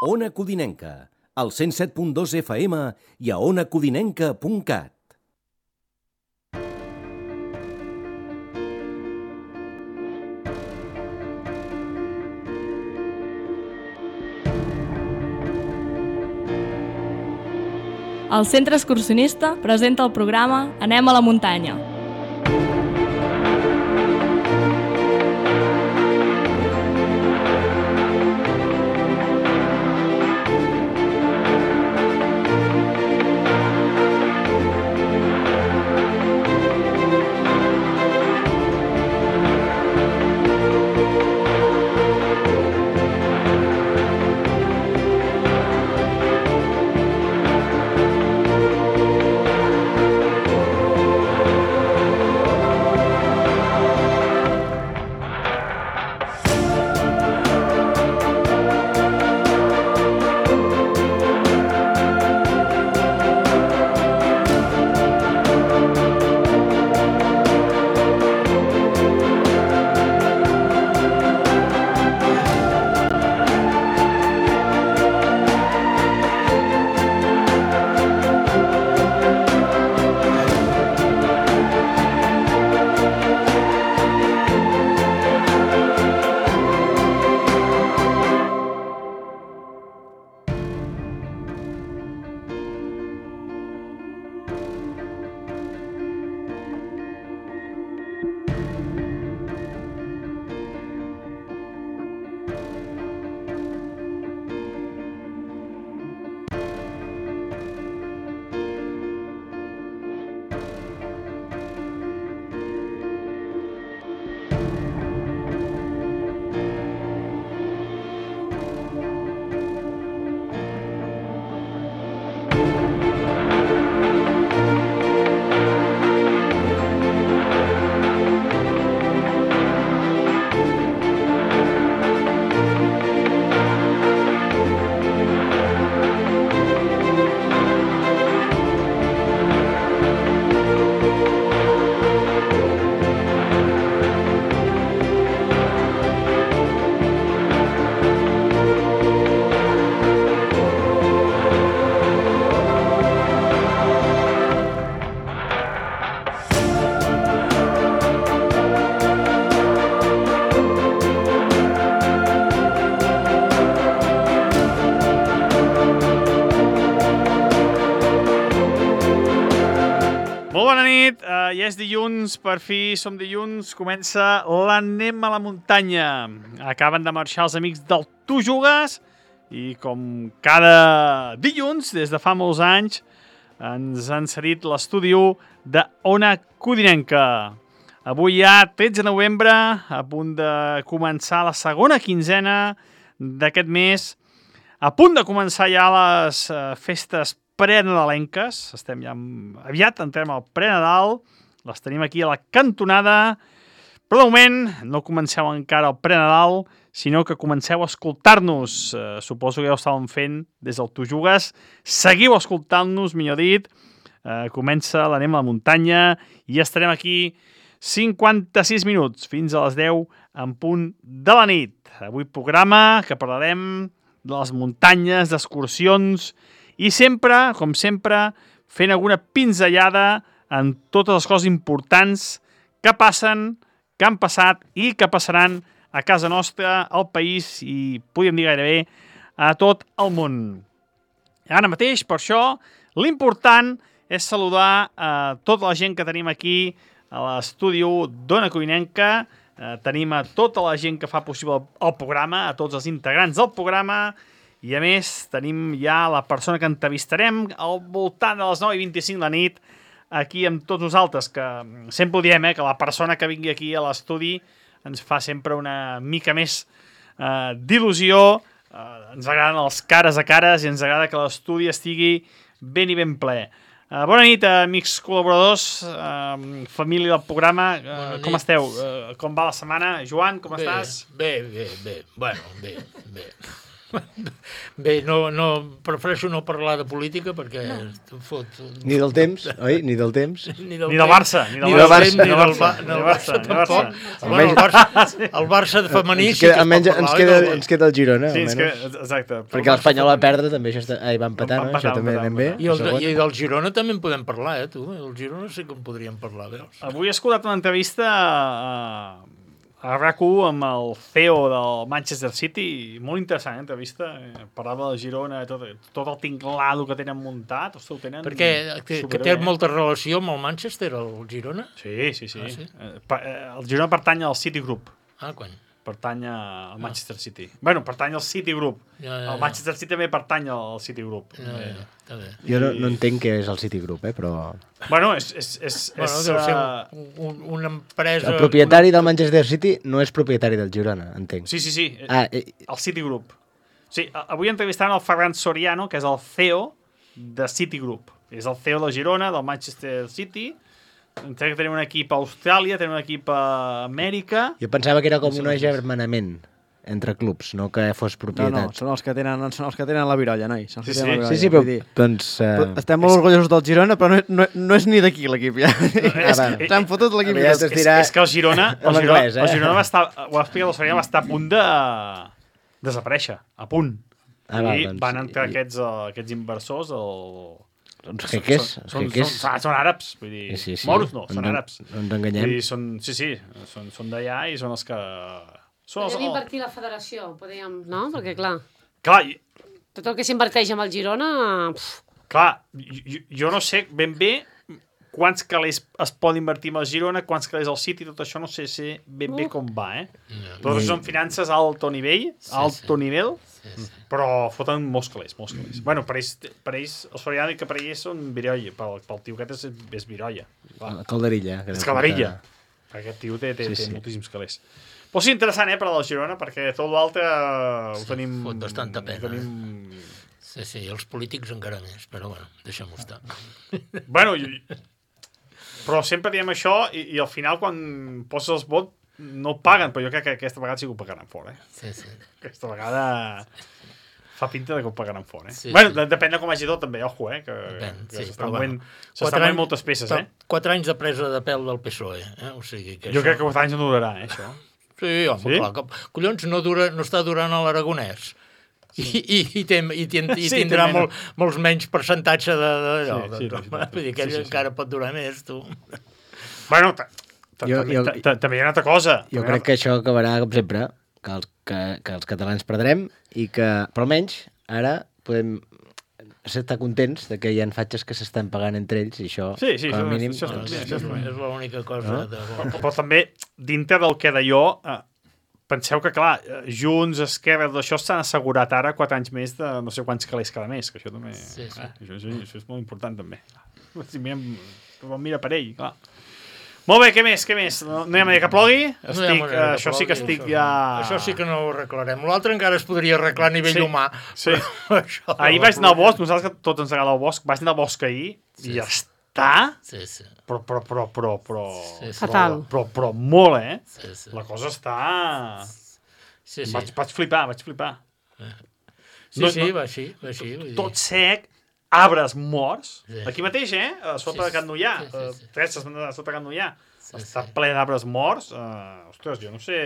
Ona Codinenca, al 107.2 FM i a onacodinenca.cat. El Centre Excursionista presenta el programa Anem a la muntanya. Ja és dilluns, per fi som dilluns, comença l'Anem a la muntanya. Acaben de marxar els amics del Tu Jugues i com cada dilluns, des de fa molts anys, ens han cedit l'estudi de Ona Codinenca. Avui ja 13 de novembre, a punt de començar la segona quinzena d'aquest mes, a punt de començar ja les festes prenadalenques. Estem ja aviat, entrem al prenadal. Les tenim aquí a la cantonada, però de moment no comenceu encara el prenadal, sinó que comenceu a escoltar-nos. Suposo que ja ho estàvem fent des del Tu Jugues. Seguiu escoltant-nos, millor dit. Comença l'Anem a la muntanya i estarem aquí 56 minuts, fins a les 10 en punt de la nit. Avui programa que parlarem de les muntanyes, d'excursions i sempre, com sempre, fent alguna pinzellada en totes les coses importants que passen, que han passat i que passaran a casa nostra, al país i, podríem dir gairebé, a tot el món. Ara mateix, per això, l'important és saludar a tota la gent que tenim aquí a l'estudi d'Ona Codinenca. Tenim a tota la gent que fa possible el programa, a tots els integrants del programa, i a més tenim ja la persona que entrevistarem al voltant de les 9:25 de la nit, aquí amb tots nosaltres, que sempre ho diem, que la persona que vingui aquí a l'estudi ens fa sempre una mica més d'il·lusió. Ens agraden els cares a cares i ens agrada que l'estudi estigui ben i ben ple. Bona nit, amics col·laboradors, família del programa, com esteu? Com va la setmana? Joan, com estàs? Bé. Bueno, bé. Bé, prefereixo no parlar de política perquè fot... Ni del temps, oi? Ni del temps. Ni del Barça. Ni del Barça tampoc. El Barça femení sí que es pot parlar. Ens queda el Girona. Sí, exacte. Perquè l'Espanyol va perdre, també va empatar, no? Això també anem bé. I del Girona també en podem parlar, tu. El Girona sí que en podríem parlar, veus? Avui he escoltat una entrevista a RAC1 amb el CEO del Manchester City, molt interessant, entrevista, parlava del Girona, tot el tinglado que tenen muntat, ho tenen... Perquè que té molta relació amb el Manchester, el Girona? Sí. El Girona pertany al City Group. Quan? Pertany al Manchester City. Bueno, pertany al City Group. El Manchester City també pertany al City Group. Està bé. Jo no entenc què és el City Group, però... Bueno, és deu ser una empresa... El propietari del Manchester City no és propietari del Girona, entenc. Sí. El City Group. Sí, avui entrevistant el Ferran Soriano, que és el CEO de City Group. És el CEO de Girona, del Manchester City. Entenc que tenen un equip a Austràlia, tenen un equip a Amèrica... Jo pensava que era com un agermanament entre clubs, no que fos propietat. No, són els que tenen la virolla, noi. Sí, però doncs... Estem molt orgullosos del Girona, però no és ni d'aquí l'equip, ja. S'han fotut l'equip. És que el Girona va estar, ho ha explicat el Soriano, va estar a punt de desaparèixer, a punt. I van entrar aquests inversors, Uns jeques? Són àrabs, vull dir, moros no, són àrabs. No ens enganyem. Són d'allà i són els que... Podem invertir la federació, no? Perquè, clar, tot el que s'inverteix amb el Girona... Clar, jo no sé ben bé quants calés es pot invertir amb el Girona, quants calés al City, tot això no sé ben bé com va, Però són finances a alto nivell, però foten molts calés. Bueno, per ells, el Soriano, que per ells són virolla, pel tio aquest és virolla. Calderilla. És calderilla. Aquest tio té moltíssims calés. Però sí, interessant, per al Girona, perquè tot l'altre ho tenim... Fot bastanta pena. Sí, els polítics encara més, però bueno, deixem-ho estar. Bueno, però sempre diem això i al final quan poses els vots no paguen, però jo crec que aquesta vegada sí que ho pagaran fora. Sí. Aquesta vegada fa pinta que ho pagaran fora. Bueno, depèn de com hagi tot també, ojo, que s'estan movent moltes peces, 4 anys de presa de pèl del PSOE, O sigui que jo crec que 4 anys no durarà, això. Sí, home, clar, collons, no està durant a l'Aragonès. I tindrà molts menys percentatge d'allò. Vull dir que ell encara pot durar més, tu. Bueno, també hi ha una altra cosa. Jo crec que això acabarà, com sempre, que els catalans perdrem, però almenys ara podem estar contents de que hi ha fatxes que s'estan pagant entre ells, i això, com a mínim... Això és l'única cosa. Però també, dintre del que d'allò... Penseu que, clar, Junts, Esquerra, d'això s'han assegurat ara 4 anys més de no sé quants calés cada mes, que això també... Això és molt important, també. Mira per ell, clar. Molt bé, què més? No hi ha manera que plogui? Això sí que estic ja... Això sí que no ho arreglarem. L'altre encara es podria arreglar a nivell humà. Sí. Ahir vaig anar al bosc, nosaltres que tots ens agrada el bosc, vaig anar al bosc ahir i ja està... Sí. Fatal. Però molt, Sí. La cosa està... Sí. Vaig flipar. Sí, va així. Tot sec, arbres morts. Aquí mateix, a sota de Can Nullà. Tres a sota de Can Nullà. Està ple d'arbres morts. Ostres, jo no sé...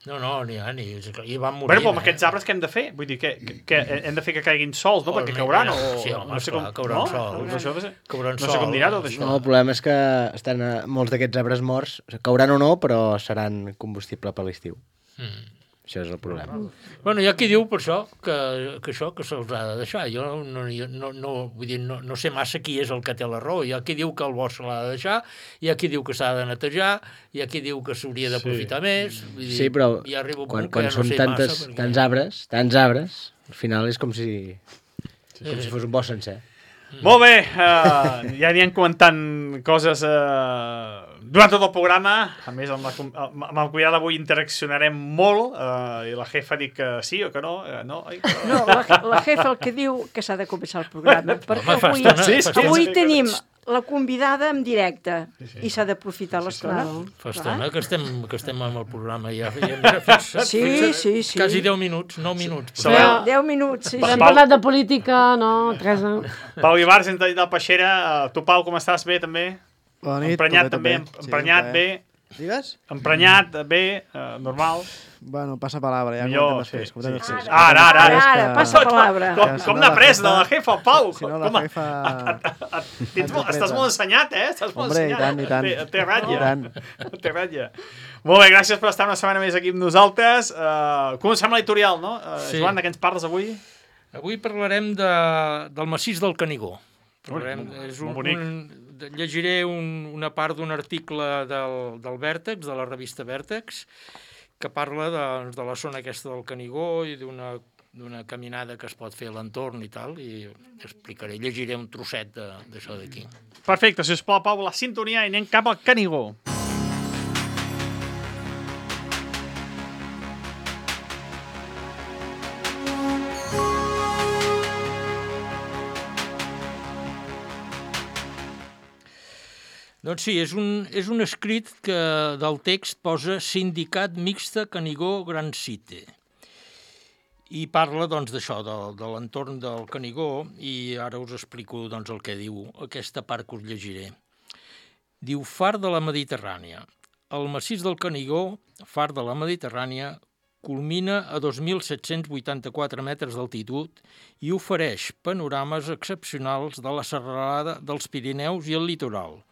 No, n'hi ha, i van morir. Però amb aquests arbres què hem de fer? Vull dir, que hem de fer que caiguin sols, no? Perquè cauran, o... Sí, home, esclar, cauran sols. No sé com dirà tot això. No, el problema és que estan molts d'aquests arbres morts, cauran o no, però seran combustible per l'estiu. Això és el problema. Bueno, hi ha qui diu per això que se'ls ha de deixar. Jo vull dir, no sé massa qui és el que té la raó. Hi ha qui diu que el bosc se l'ha de deixar, hi ha qui diu que s'ha de netejar, hi ha qui diu que s'hauria d'aprofitar més. Vull dir, sí, però ja quan són tants arbres, al final és com si fos un bosc sencer. Molt bé, ja anirem comentant coses durant tot el programa. A més, amb el Cuidado avui interaccionarem molt i la jefa diu que sí o que no. No, la jefa el que diu que s'ha de començar el programa, perquè avui tenim la convidada en directe i s'ha d'aprofitar l'estona. Fa estona que estem amb el programa ja. Sí. Quasi 10 minuts, 9 minuts. 10 minuts, sí. Hem parlat de política, no, Teresa? Pau Ibar, sense dir del Peixera. Tu, Pau, com estàs? Bé, també? Bona nit. Emprenyat també, emprenyat bé. Digues? Emprenyat bé, normal. Bueno, passa palabra, ja. Millor, sí. Ara, passa palabra. Com n'ha pres de la jefa, Pau? Si no, la jefa... Estàs molt assenyat, Estàs molt assenyat. I tant. Té ratlla. Molt bé, gràcies per estar una setmana més aquí amb nosaltres. Comencem l'editorial, no? Joan, de què ens parles avui? Avui parlarem del massís del Canigó. Llegiré una part d'un article del Vèrtex, de la revista Vèrtex, que parla de la zona aquesta del Canigó i d'una caminada que es pot fer a l'entorn i tal, i explicaré, llegiré un trosset d'això d'aquí. Perfecte, si us plau, Pau, la sintonia i anem cap al Canigó. Doncs sí, és un escrit que del text posa Sindicat Mixte Canigó Gran Cite. I parla doncs d'això, de l'entorn del Canigó, i ara us explico doncs el que diu aquesta part que us llegiré. Diu Far de la Mediterrània. El massís del Canigó, Far de la Mediterrània, culmina a 2.784 metres d'altitud i ofereix panorames excepcionals de la serralada dels Pirineus i el litoral,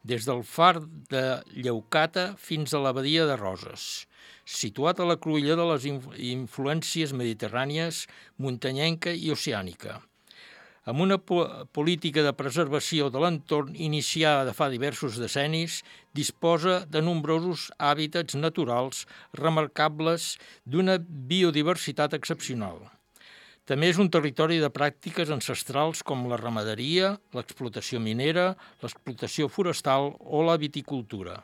des del far de Lleucata fins a la badia de Roses, situat a la cruïlla de les influències mediterrànies, muntanyenca i oceànica. Amb una política de preservació de l'entorn iniciada fa diversos decennis, disposa de nombrosos hàbitats naturals remarcables d'una biodiversitat excepcional. També és un territori de pràctiques ancestrals com la ramaderia, l'explotació minera, l'explotació forestal o la viticultura.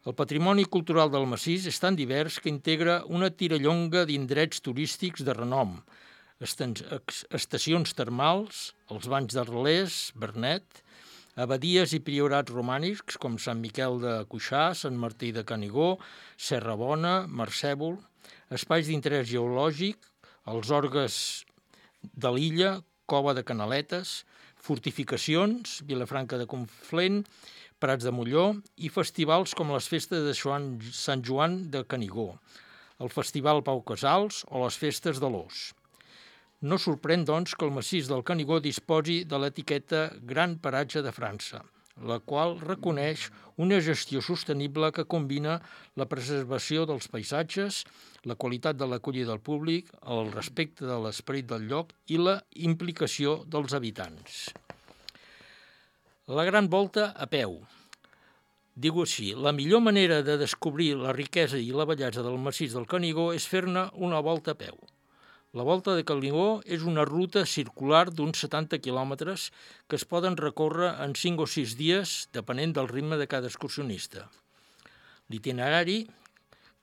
El patrimoni cultural del massís és tan divers que integra una tirallonga d'indrets turístics de renom, estacions termals, els banys d'Arles, Bernet, abadies i priorats romànics com Sant Miquel de Cuixà, Sant Martí de Canigó, Serra Bona, Marcèvol, espais d'interès geològic, els orgues de l'illa, Cova de Canaletes, fortificacions, Vilafranca de Conflent, Prats de Molló i festivals com les festes de Sant Joan de Canigó, el Festival Pau Casals o les festes de l'Ós. No sorprèn, doncs, que el massís del Canigó disposi de l'etiqueta Gran Paratge de França, la qual reconeix una gestió sostenible que combina la preservació dels paisatges, la qualitat de l'acollida del públic, el respecte de l'esperit del lloc i la implicació dels habitants. La gran volta a peu. Diu així, la millor manera de descobrir la riquesa i la bellesa del massís del Canigó és fer-ne una volta a peu. La volta de Canigó és una ruta circular d'uns 70 quilòmetres que es poden recórrer en 5 o 6 dies, depenent del ritme de cada excursionista. L'itinerari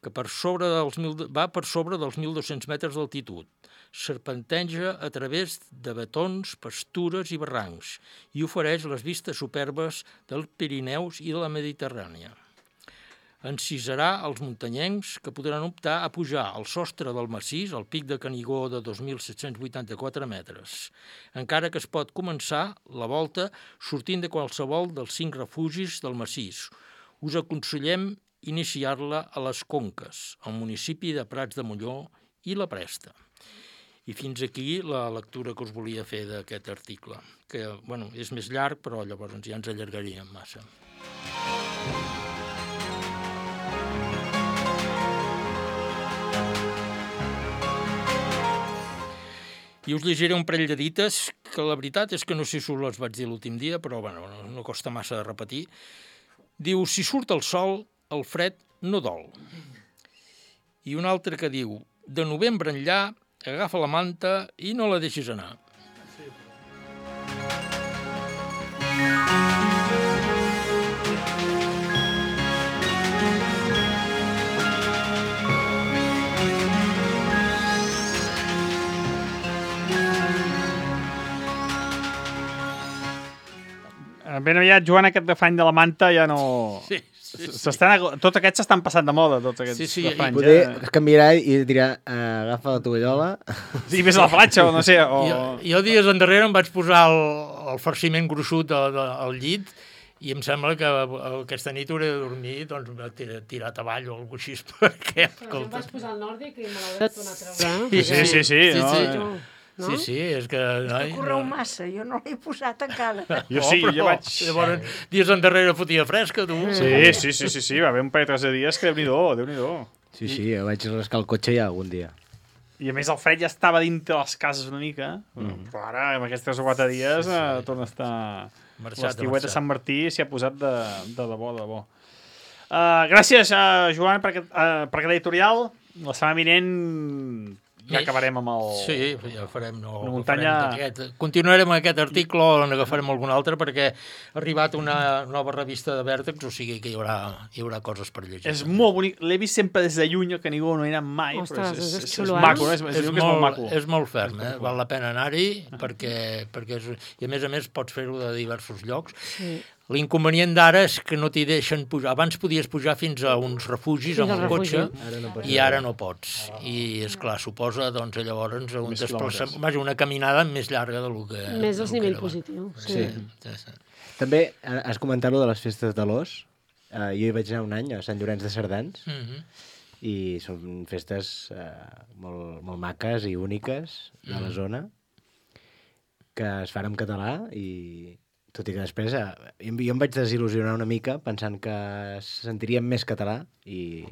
que va per sobre dels 1.200 metres d'altitud, serpenteja a través de betons, pastures i barrancs i ofereix les vistes superbes dels Pirineus i de la Mediterrània. Encisarà els muntanyencs que podran optar a pujar al sostre del massís, al pic de Canigó de 2.784 metres, encara que es pot començar la volta sortint de qualsevol dels 5 refugis del massís. Us aconsellem iniciar-la a les Conques, al municipi de Prats de Molló i la Presta. I fins aquí la lectura que us volia fer d'aquest article, que és més llarg, però llavors ja ens allargaríem massa. I us llegiré un parell de dites, que la veritat és que no sé si us les vaig dir l'últim dia, però no costa massa de repetir. Diu, si surt el sol, el fred no dol. I un altre que diu, de novembre enllà, agafa la manta i no la deixis anar. Ben aviat, Joan, aquest refrany de la manta ja no... Sí. Tots aquests s'estan passant de moda, tots aquests refranys. Poder canviarà i dirà, agafa la tovallola... Sí, vés a la platja, o no sé... Jo dies endarrere em vaig posar el farciment gruixut al llit i em sembla que aquesta nit hauré de dormir tirat avall o alguna cosa així, perquè... Però jo em vaig posar al nòrdic i me l'hauré de tornar a treure. Sí. No? Sí, és que... És que correu massa, jo no l'he posat encara. Jo sí, jo vaig... Llavors, dies endarrere fotia fresca, tu. Sí, va haver un parell de dies que Déu-n'hi-do. Sí, jo vaig rascar el cotxe ja algun dia. I a més el fred ja estava dintre les cases una mica, però ara, amb aquests 3 o 4 dies, torna a estar... L'estiuet de Sant Martí s'hi ha posat de debò. Gràcies, Joan, per aquest editorial. La setmana vinent... Ja acabarem amb el... Sí, ja farem... Continuarem amb aquest article o n'agafarem algun altre perquè ha arribat una nova revista de Vèrtex, o sigui que hi haurà coses per llegir. És molt bonic. L'he vist sempre des de lluny, que ningú no hi ha anat mai. Ostres, és maco, és molt maco. És molt ferm, val la pena anar-hi perquè i a més pots fer-ho de diversos llocs. Sí. L'inconvenient d'ara és que no t'hi deixen pujar. Abans podies pujar fins a uns refugis amb el cotxe i ara no pots. I, esclar, suposa, doncs, llavors una caminada més llarga del que... Més del nivell positiu. Sí. També has comentat de les festes de l'Os. Jo hi vaig anar un any a Sant Llorenç de Cerdans i són festes molt maques i úniques de la zona que es fan en català i... Tot i que després jo em vaig desil·lusionar una mica pensant que sentiríem més català i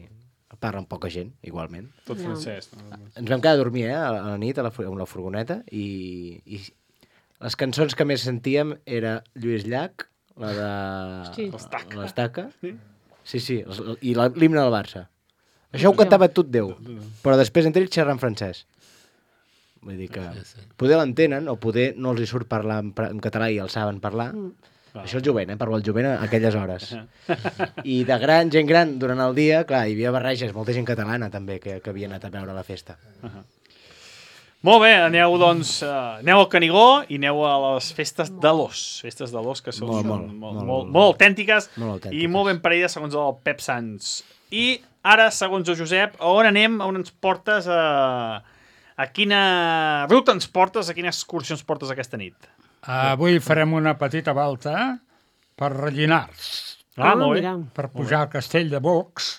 parlen poca gent, igualment. Tot francès. Ens vam quedar a dormir a la nit amb la furgoneta i les cançons que més sentíem era Lluís Llach, la de l'Estaca. Sí, i l'himne del Barça. Això ho cantava tot Déu, però després entre ells xerrant francès. Vull dir que poder l'entenen o poder no els hi surt parlar en català i el saben parlar. Això és jovent, parlo el jovent a aquelles hores. I de gent gran, durant el dia, clar, hi havia barreges, molta gent catalana també que havia anat a veure la festa. Molt bé, aneu al Canigó i aneu a les festes de l'Os. Festes de l'Os que són molt autèntiques i molt ben paredes segons el Pep Sans. I ara, segons el Josep, on anem? On ens portes a quina ruta ens portes, a quina excursió ens portes aquesta nit? Avui farem una petita volta per Rellinars. Molt bé. Per pujar al castell de Bocs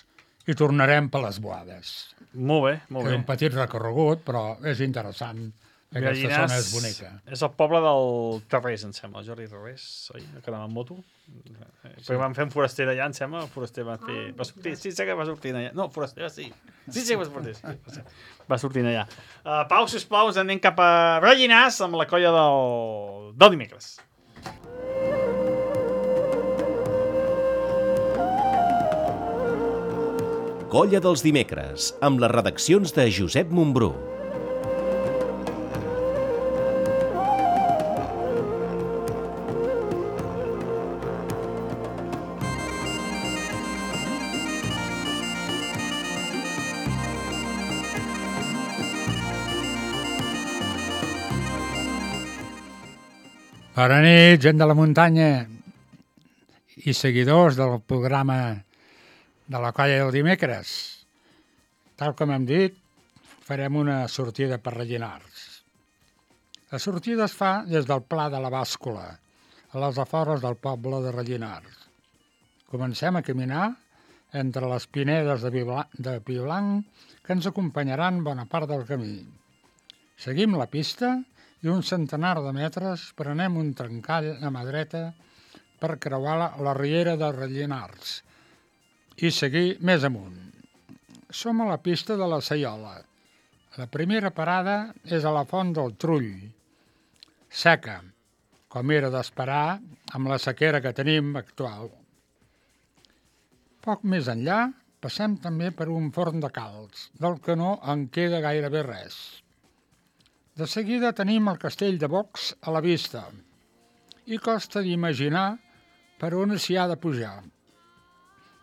i tornarem per les Boades. Molt bé. És un petit recorregut, però és interessant. Aquesta zona és bonica. És el poble del Terrés, em sembla, el Jordi Terrés, oi? Que anava amb moto. Perquè van fer un foraster d'allà, em sembla. El foraster va fer... Sí, sé que va sortir allà. No, foraster, sí. Sí, va sortir. Va sortir allà. Pau, sisplau, ens anem cap a Rellinars amb la colla del dimecres. Colla dels dimecres, amb les redaccions de Josep Montbrú. Bona nit, gent de la muntanya i seguidors del programa de la colla del dimecres. Tal com hem dit, farem una sortida per Rellinars. La sortida es fa des del Pla de la Bàscula, a les afores del poble de Rellinars. Comencem a caminar entre les pinedes de pi blanc que ens acompanyaran bona part del camí. Seguim la pista i un centenar de metres prenem un trencall a mà dreta per creuar la riera de Rellinars i seguir més amunt. Som a la pista de la Saiola. La primera parada és a la Font del Trull, seca, com era d'esperar amb la sequera que tenim actual. Poc més enllà passem també per un forn de calç, del que no en queda gairebé res. De seguida tenim el castell de Bocs a la vista i costa d'imaginar per on s'hi ha de pujar.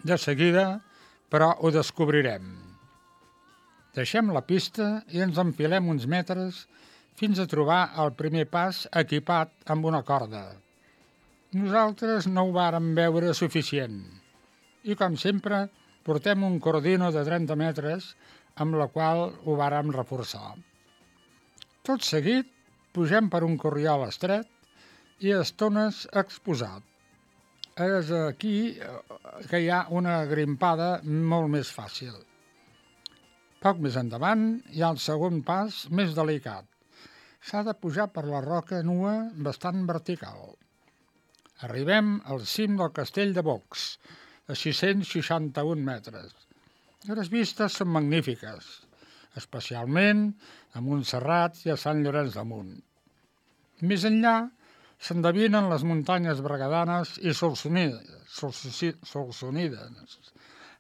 De seguida, però, ho descobrirem. Deixem la pista i ens enfilem uns metres fins a trobar el primer pas equipat amb una corda. Nosaltres no ho vàrem veure suficient i, com sempre, portem un cordino de 30 metres amb la qual ho vàrem reforçar. Tot seguit, pugem per un corriol estret i a estones exposat. És aquí que hi ha una grimpada molt més fàcil. Poc més endavant hi ha el segon pas més delicat. S'ha de pujar per la roca nua bastant vertical. Arribem al cim del castell de Bocs, a 661 metres. Les vistes són magnífiques, especialment a Montserrat i a Sant Llorenç de Munt. Més enllà s'endevinen les muntanyes berguedanes i solsonides,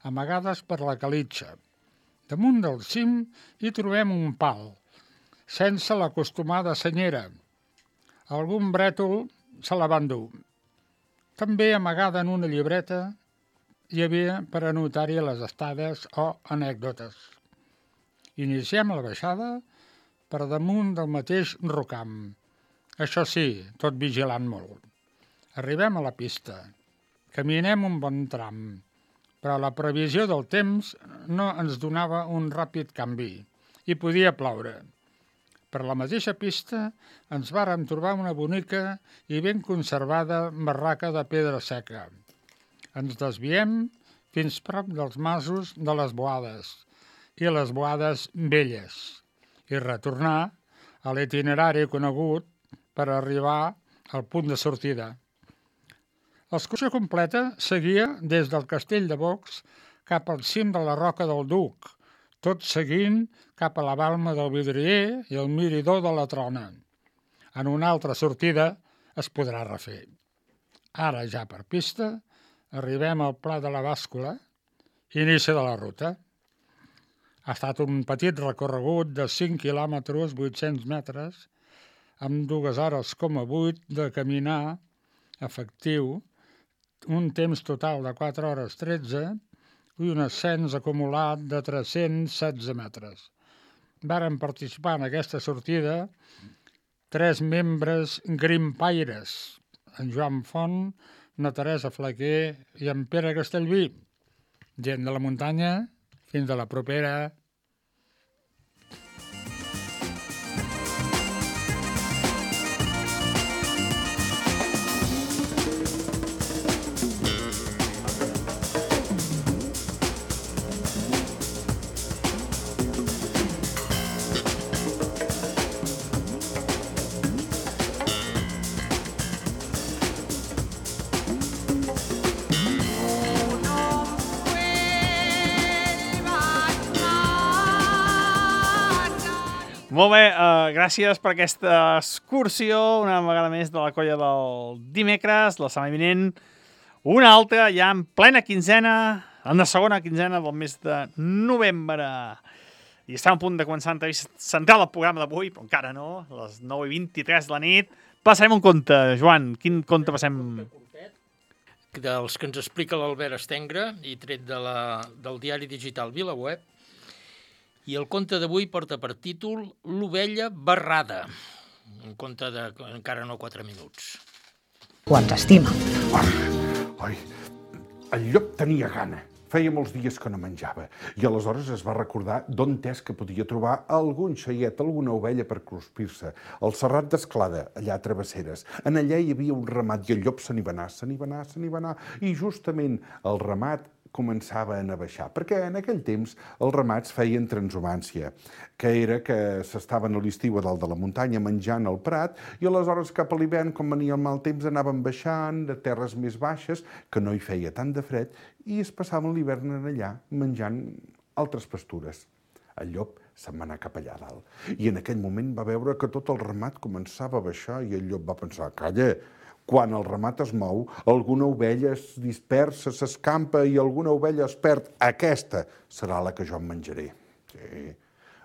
amagades per la calitxa. Damunt del cim hi trobem un pal, sense l'acostumada senyera. Algun brètol se la va endur. També amagada en una llibreta hi havia per anotar-hi les estades o anècdotes. Iniciem la baixada per damunt del mateix rocam. Això sí, tot vigilant molt. Arribem a la pista. Caminem un bon tram, però la previsió del temps no ens donava un ràpid canvi i podia ploure. Per la mateixa pista ens vàrem trobar una bonica i ben conservada barraca de pedra seca. Ens desviem fins prop dels masos de les Boades i les Boades Velles i retornar a l'itinerari conegut per arribar al punt de sortida. L'excursió completa seguia des del castell de Bocs cap al cim de la Roca del Duc, tot seguint cap a la balma del Vidrier i el mirador de la Trona. En una altra sortida es podrà refer. Ara, ja per pista, arribem al Pla de la Bàscula, inici de la ruta. Ha estat un petit recorregut de 5 quilòmetres, 800 metres, amb 2 hores com a 8 de caminar efectiu, un temps total de 4 hores 13 i un ascens acumulat de 316 metres. Varen participar en aquesta sortida 3 membres grimpaires, en Joan Font, na Teresa Flaquer i en Pere Castellví. Gent de la muntanya, fins a la propera. Molt bé, gràcies per aquesta excursió, una vegada més de la colla del dimecres, la setmana vinent, una altra ja en plena quinzena, en la segona quinzena del mes de novembre. I estem a punt de començar l'entrevista central del programa d'avui, però encara no, a les 9:23 de la nit. Passarem un conte, Joan, quin conte passem? Dels que ens explica l'Albert Estengre i tret del diari digital VilaWeb. I el conte d'avui porta per títol L'ovella barrada. Un conte de encara no 4 minuts. Ho ens estima. Ai, el llop tenia gana. Feia molts dies que no menjava i aleshores es va recordar d'on és que podia trobar algun xaiet, alguna ovella per cruspir-se. Al Serrat d'Esclada, allà a Travesseres. En allà hi havia un ramat i el llop se n'hi va anar. I justament el ramat començava a baixar, perquè en aquell temps els ramats feien transhumància, que era que s'estaven a l'estiu a dalt de la muntanya menjant al prat i aleshores cap a l'hivern, com venia el mal temps, anaven baixant de terres més baixes, que no hi feia tant de fred, i es passaven l'hivern allà menjant altres pastures. El llop se'n va anar cap allà dalt. I en aquell moment va veure que tot el ramat començava a baixar i el llop va pensar, calla, quan el ramat es mou, alguna ovella es dispersa, s'escampa i alguna ovella es perd. Aquesta serà la que jo em menjaré. Sí.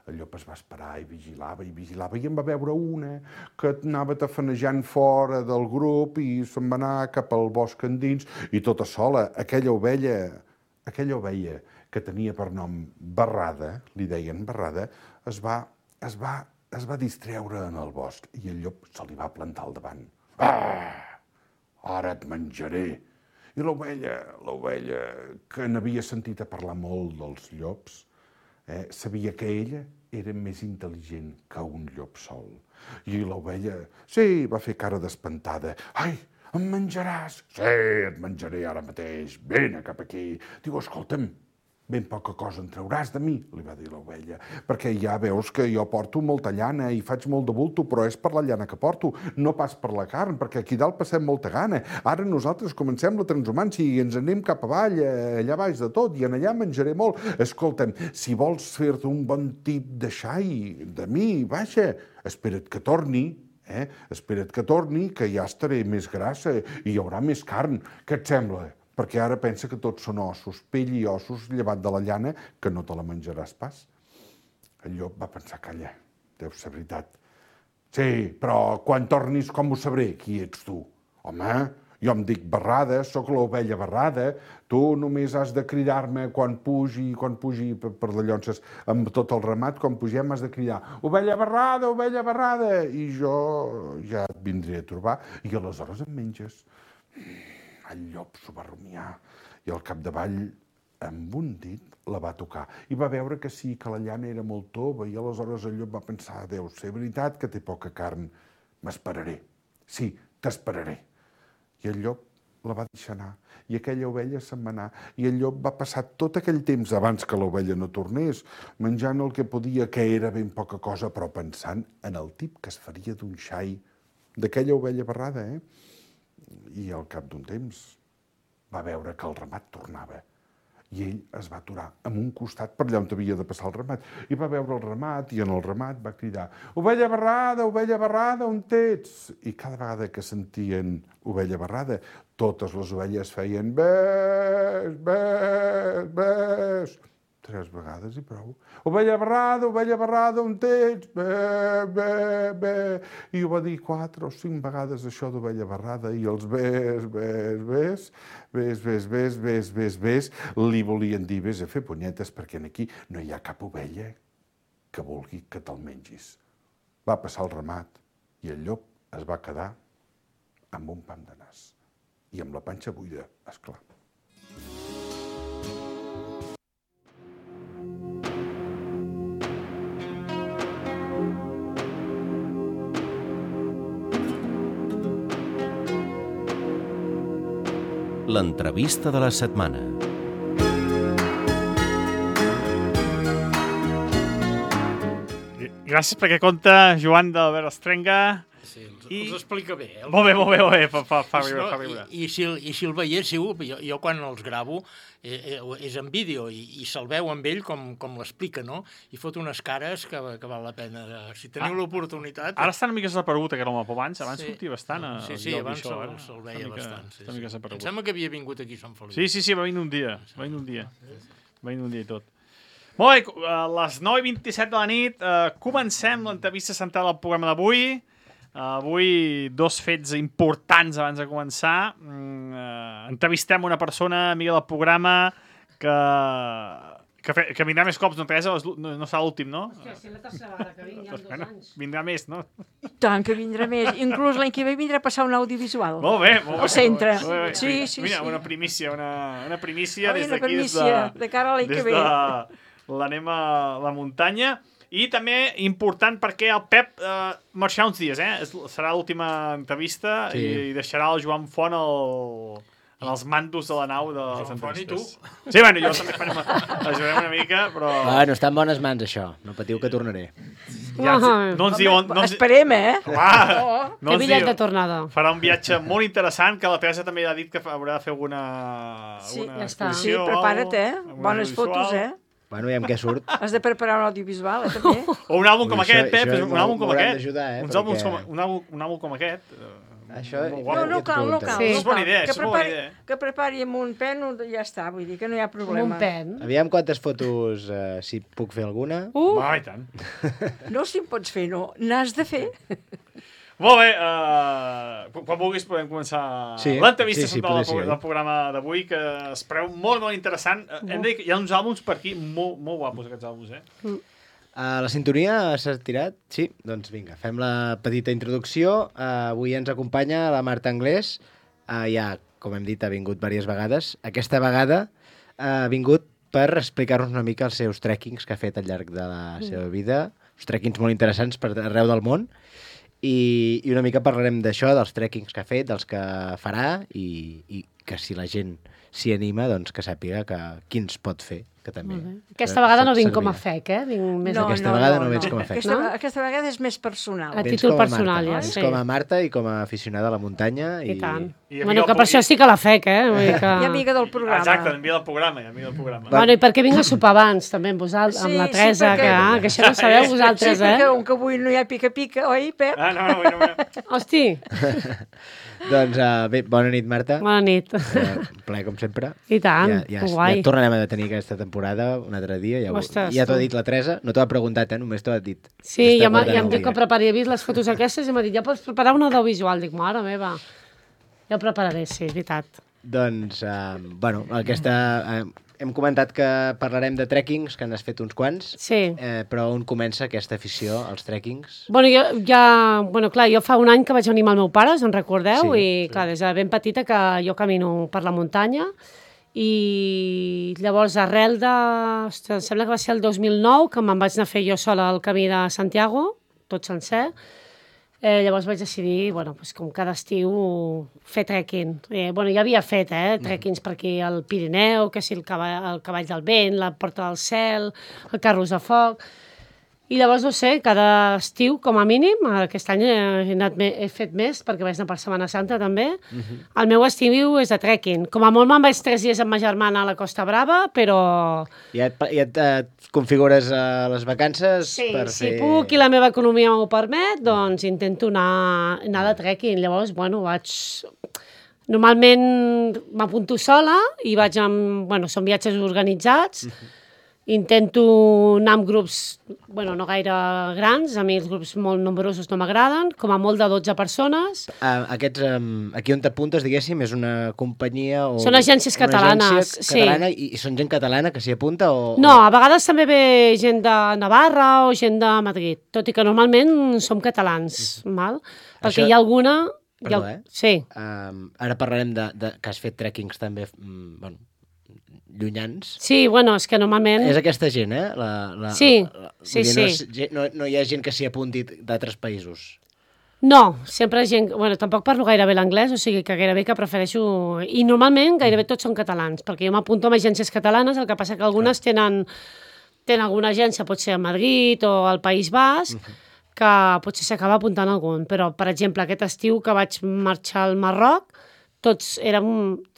El llop es va esperar i vigilava i en va veure una que anava tafanejant fora del grup i se'n va anar cap al bosc endins i tota sola, aquella ovella que tenia per nom Barrada, li deien Barrada, es va distreure en el bosc i el llop se li va plantar al davant. ara et menjaré. I l'ovella, que n'havia sentit a parlar molt dels llops, sabia que ella era més intel·ligent que un llop sol. I l'ovella, sí, va fer cara d'espantada. Ai, em menjaràs? Sí, et menjaré ara mateix. Vine cap aquí. Diu, escolta'm, ben poca cosa en trauràs de mi, li va dir l'ovella, perquè ja veus que jo porto molta llana i faig molt de bulto, però és per la llana que porto, no pas per la carn, perquè aquí dalt passem molta gana. Ara nosaltres comencem la transhumància i ens anem cap avall, allà baix de tot, i en allà menjaré molt. Escolta'm, si vols fer-te un bon tip de xai de mi, baixa, espera't que torni, espera't que torni, que ja estaré més grassa i hi haurà més carn. Què et sembla? Perquè ara pensa que tots són ossos, pell i ossos, llevat de la llana, que no te la menjaràs pas. El llop va pensar, calla, deu ser veritat. Sí, però quan tornis com ho sabré? Qui ets tu? Home, jo em dic Barrada, sóc l'ovella Barrada, tu només has de cridar-me quan pugi per les llonces amb tot el ramat, quan pugem has de cridar ovella Barrada, i jo ja et vindré a trobar, i aleshores em menges. El llop s'ho va rumiar i al capdavall, amb un dit, la va tocar. I va veure que sí, que la llana era molt tova i aleshores el llop va pensar, deu ser veritat que té poca carn, m'esperaré. Sí, t'esperaré. I el llop la va deixar anar i aquella ovella se'n va anar i el llop va passar tot aquell temps abans que l'ovella no tornés, menjant el que podia, que era ben poca cosa, però pensant en el tip que es faria d'un xai d'aquella ovella Barrada, I al cap d'un temps va veure que el ramat tornava i ell es va aturar en un costat per allà on havia de passar el ramat i va veure el ramat i en el ramat va cridar ovella Barrada, on ets? I cada vegada que sentien ovella Barrada, totes les ovelles feien bés, 3 vegades i prou. Ovella Barrada, on ets? Bé. I ho va dir 4 o 5 vegades això d'ovella Barrada i els bés, li volien dir vés a fer punyetes perquè aquí no hi ha cap ovella que vulgui que te'l mengis. Va passar el ramat i el llop es va quedar amb un pam de nas i amb la panxa buida, esclar. L'entrevista de la setmana. Gràcies perquè conta Joan d'Albert Estrenga. Sí, els explica bé. Molt bé, fa riure. I si el veiéssiu, jo quan els gravo és en vídeo i se'l veu amb ell com l'explica, no? I fot unes cares que val la pena. Si teniu l'oportunitat... Ara està una mica desaparegut aquest home, però abans sortia bastant. Sí, abans se'l veia bastant. Em sembla que havia vingut aquí a Sant Feliu. Sí, va venir un dia. Va venir un dia i tot. Molt bé, a les 9:27 de la nit comencem l'entrevista central del programa d'avui. Avui 2 fets importants abans de començar. Entrevistem una persona amiga del programa que vindrà més cops, no, Teresa? No serà l'últim, no? Hòstia, si la tercera vegada que vinc, ja 2 anys. Vindrà més, no? Tant que vindrà més. Inclús l'any que ve vindrà a passar un audiovisual. Molt bé. Al centre. Sí. Mira, una primícia des d'aquí. Una primícia de cara a l'any que ve. Des de l'anem a la muntanya. I també important perquè el Pep marxarà uns dies, serà l'última entrevista i deixarà el Joan Font en els mandos de la nau de les entrevistes. Sí, bueno, jo també ajudarem una mica, però... Bueno, està en bones mans, això. No patiu que tornaré. No ens diuen... Esperem, Que bitllet de tornada. Farà un viatge molt interessant, que la Teresa també ha dit que haurà de fer alguna exposició. Sí, prepara't, bones fotos, Bueno, ja amb què surt. Has de preparar un audiovisual, també. O un àlbum com aquest, Pep, un àlbum com aquest. Un àlbum com aquest. Això... No cal. És bona idea, Que prepari amb un pen i ja està, vull dir que no hi ha problema. Un pen? Aviam quantes fotos, si puc fer alguna. I tant. No, si en pots fer, no. N'has de fer. Molt bé, quan vulguis podem començar l'entrevista central del programa d'avui, que es preveu molt interessant. Hem de dir que hi ha uns àlbums per aquí molt guapos, aquests àlbums, La sintonia s'ha tirat? Sí, doncs vinga, fem la petita introducció. Avui ens acompanya la Marta Anglès, ja, com hem dit, ha vingut diverses vegades. Aquesta vegada ha vingut per explicar-nos una mica els seus trekkings que ha fet al llarg de la seva vida, uns trekkings molt interessants per arreu del món, i una mica parlarem d'això, dels trekkings que ha fet, dels que farà, i que si la gent s'hi anima, doncs que sàpiga quins pot fer, que també... Aquesta vegada no vinc com a fec, Vinc més aquesta vegada no vens com a fec. Aquesta vegada és més personal. A títol personal, ja, sí. Vens com a Marta i com a aficionada a la muntanya. I tant. Bueno, que per això estic a la fec, I amiga del programa. Exacte, amiga del programa. Bueno, i perquè vinc a sopar abans, també, amb vosaltres, amb la Teresa, que això no sabeu vosaltres, Sí, perquè que avui no hi ha pica-pica, oi, Pep? No. Hosti! Doncs bé, bona nit, Marta. Bona nit. Ple, com sempre. I tant, guai. Ja tornarem a tenir aquesta temporada un altre dia. Ja t'ho ha dit la Teresa. No t'ho ha preguntat, només t'ho ha dit. Sí, ja em diu que prepari. He vist les fotos aquestes i m'ha dit, ja pots preparar un audiovisual. Dic, mare meva. Ja ho prepararé, sí, veritat. Doncs, bueno, hem comentat que parlarem de trekkings, que n'has fet uns quants. Sí. Però on comença aquesta afició als trekkings? Bueno, jo fa un any que vaig venir amb el meu pare, us en recordeu? Sí, i clar, des de ben petita que jo camino per la muntanya i llavors arrel de... Em sembla que va ser el 2009 que me'n vaig anar a fer jo sola el camí de Santiago, tot sencer. Llavors vaig decidir, com cada estiu, fer trekking. Ja havia fet trekkings per aquí al Pirineu, que si el cavall del vent, la Porta del Cel, el Carros de Foc. I llavors, no sé, cada estiu, com a mínim, aquest any he fet més, perquè vaig anar per Setmana Santa també, el meu estiu és de trekking. Com a molt me'n vaig 3 dies amb ma germana a la Costa Brava, però... Ja et configures les vacances per fer... Si puc i la meva economia m'ho permet, doncs intento anar de trekking. Llavors, vaig... Normalment m'apunto sola i vaig amb... Són viatges organitzats. Intento anar amb grups, no gaire grans, a mi els grups molt nombrosos no m'agraden, com a molt de 12 persones. Aquí on t'apuntes, diguéssim, és una companyia o... Són agències catalanes, una agència catalana, i són gent catalana que s'hi apunta o... No, a vegades també ve gent de Navarra o gent de Madrid, tot i que normalment som catalans, val? Perquè hi ha alguna... Perdó, Sí. Ara parlarem que has fet trekkings també, llunyans. Sí, és que normalment... És aquesta gent, Sí. No hi ha gent que s'hi apunti d'altres països. No, sempre gent... Tampoc parlo gaire bé l'anglès, o sigui que gairebé que prefereixo... I normalment gairebé tots són catalans, perquè jo m'apunto amb agències catalanes, el que passa que algunes tenen alguna agència, pot ser a Madrid o al País Basc, que potser s'acaba apuntant algun. Però, per exemple, aquest estiu que vaig marxar al Marroc, tots érem...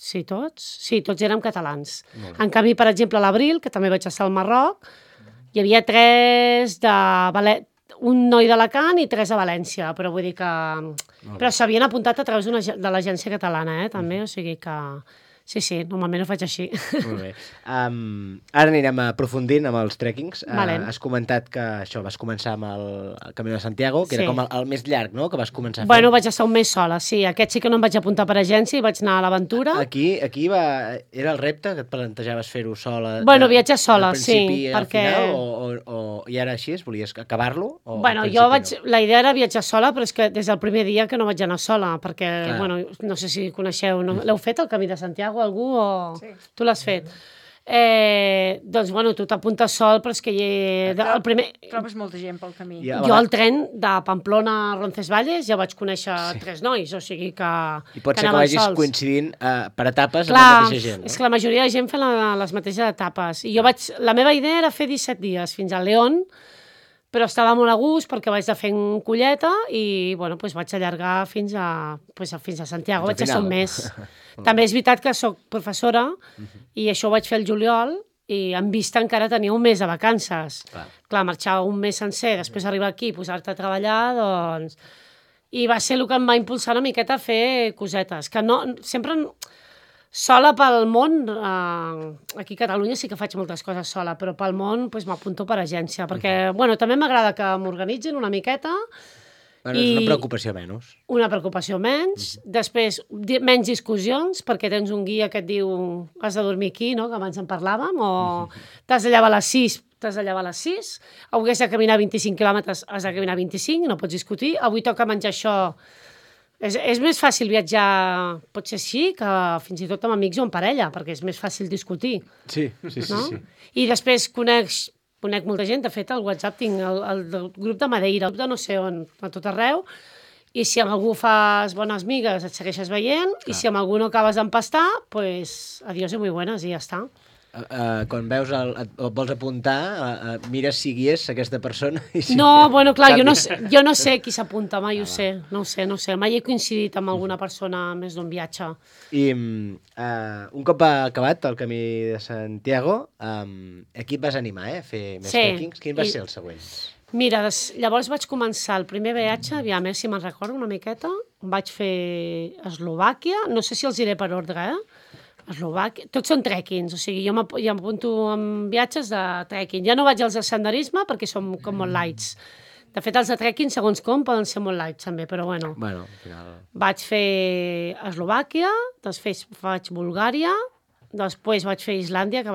Sí, tots? Sí, tots érem catalans. En canvi, per exemple, a l'abril, que també vaig estar al Marroc, hi havia 3 un noi d'Alacant i 3 a València, però vull dir que... Però s'havien apuntat a través de l'agència catalana, també, o sigui que... Sí, normalment ho faig així. Molt bé. Ara anirem aprofundint amb els trekkings. Has comentat que això, vas començar amb el Camí de Santiago, que era com el més llarg, no?, que vas començar a fer. Vaig estar un mes sola, sí. Aquest sí que no em vaig apuntar per agència i vaig anar a l'aventura. Aquí era el repte, que et plantejaves fer-ho sola? Viatjar sola, sí. Al principi al final, i ara així, volies acabar-lo? La idea era viatjar sola, però és que des del primer dia que no vaig anar sola, perquè, no sé si coneixeu, l'heu fet, el Camí de Santiago, algú o... Sí. Tu l'has fet? Doncs, tu t'apuntes sol, però és que el primer... Trobes molta gent pel camí. Jo al tren de Pamplona a Roncesvalles ja vaig conèixer 3 nois, o sigui que... I pot ser que vagis coincidint per etapes amb la mateixa gent, no? És que la majoria de gent fa les mateixes etapes. I la meva idea era fer 17 dies fins a León, però estava molt a gust perquè vaig de fent colleta i vaig allargar fins a Santiago, vaig estar un mes. També és veritat que soc professora i això ho vaig fer el juliol i en vista encara tenia un mes de vacances. Clar, marxar un mes sencer, després arribar aquí i posar-te a treballar, doncs... I va ser el que em va impulsar una miqueta a fer cosetes, que no... Sempre... Sola pel món, aquí a Catalunya sí que faig moltes coses sola, però pel món m'apunto per agència, perquè també m'agrada que m'organitzin una miqueta. És una preocupació menys. Una preocupació menys. Després, menys discussions, perquè tens un guia que et diu has de dormir aquí, no?, que abans en parlàvem, o t'has de llevar a les 6, hagués de caminar 25 quilòmetres, has de caminar 25, no pots discutir. Avui toca menjar això, És més fàcil viatjar, potser sí, que fins i tot amb amics o amb parella, perquè és més fàcil discutir. Sí. I després conec molta gent, de fet, al WhatsApp tinc el grup de Madeira, el grup de no sé on, a tot arreu, i si amb algú fas bones migues et segueixes veient, i si amb algú no acabes d'empastar, pues adiós i muy buenas, i ja està. Quan veus et vols apuntar, mira si guies aquesta persona. No, bueno, clar, jo no sé qui s'apunta, mai ho sé, no ho sé. Mai he coincidit amb alguna persona més d'un viatge. I un cop acabat el camí de Santiago, aquí et vas animar a fer més trekkings? Quin va ser el següent? Mira, llavors vaig començar el primer viatge, aviam, si me'n recordo una miqueta, vaig fer Eslovàquia, no sé si els diré per ordre, Eslovàquia, tots són trekkings, o sigui, jo m'apunto en viatges de trekking. Ja no vaig als de senderisme perquè són com molt lights. De fet, els de trekking, segons com, poden ser molt lights també, però bueno. Bueno, al final... Vaig fer Eslovàquia, després faig Bulgària, després vaig fer Islàndia, que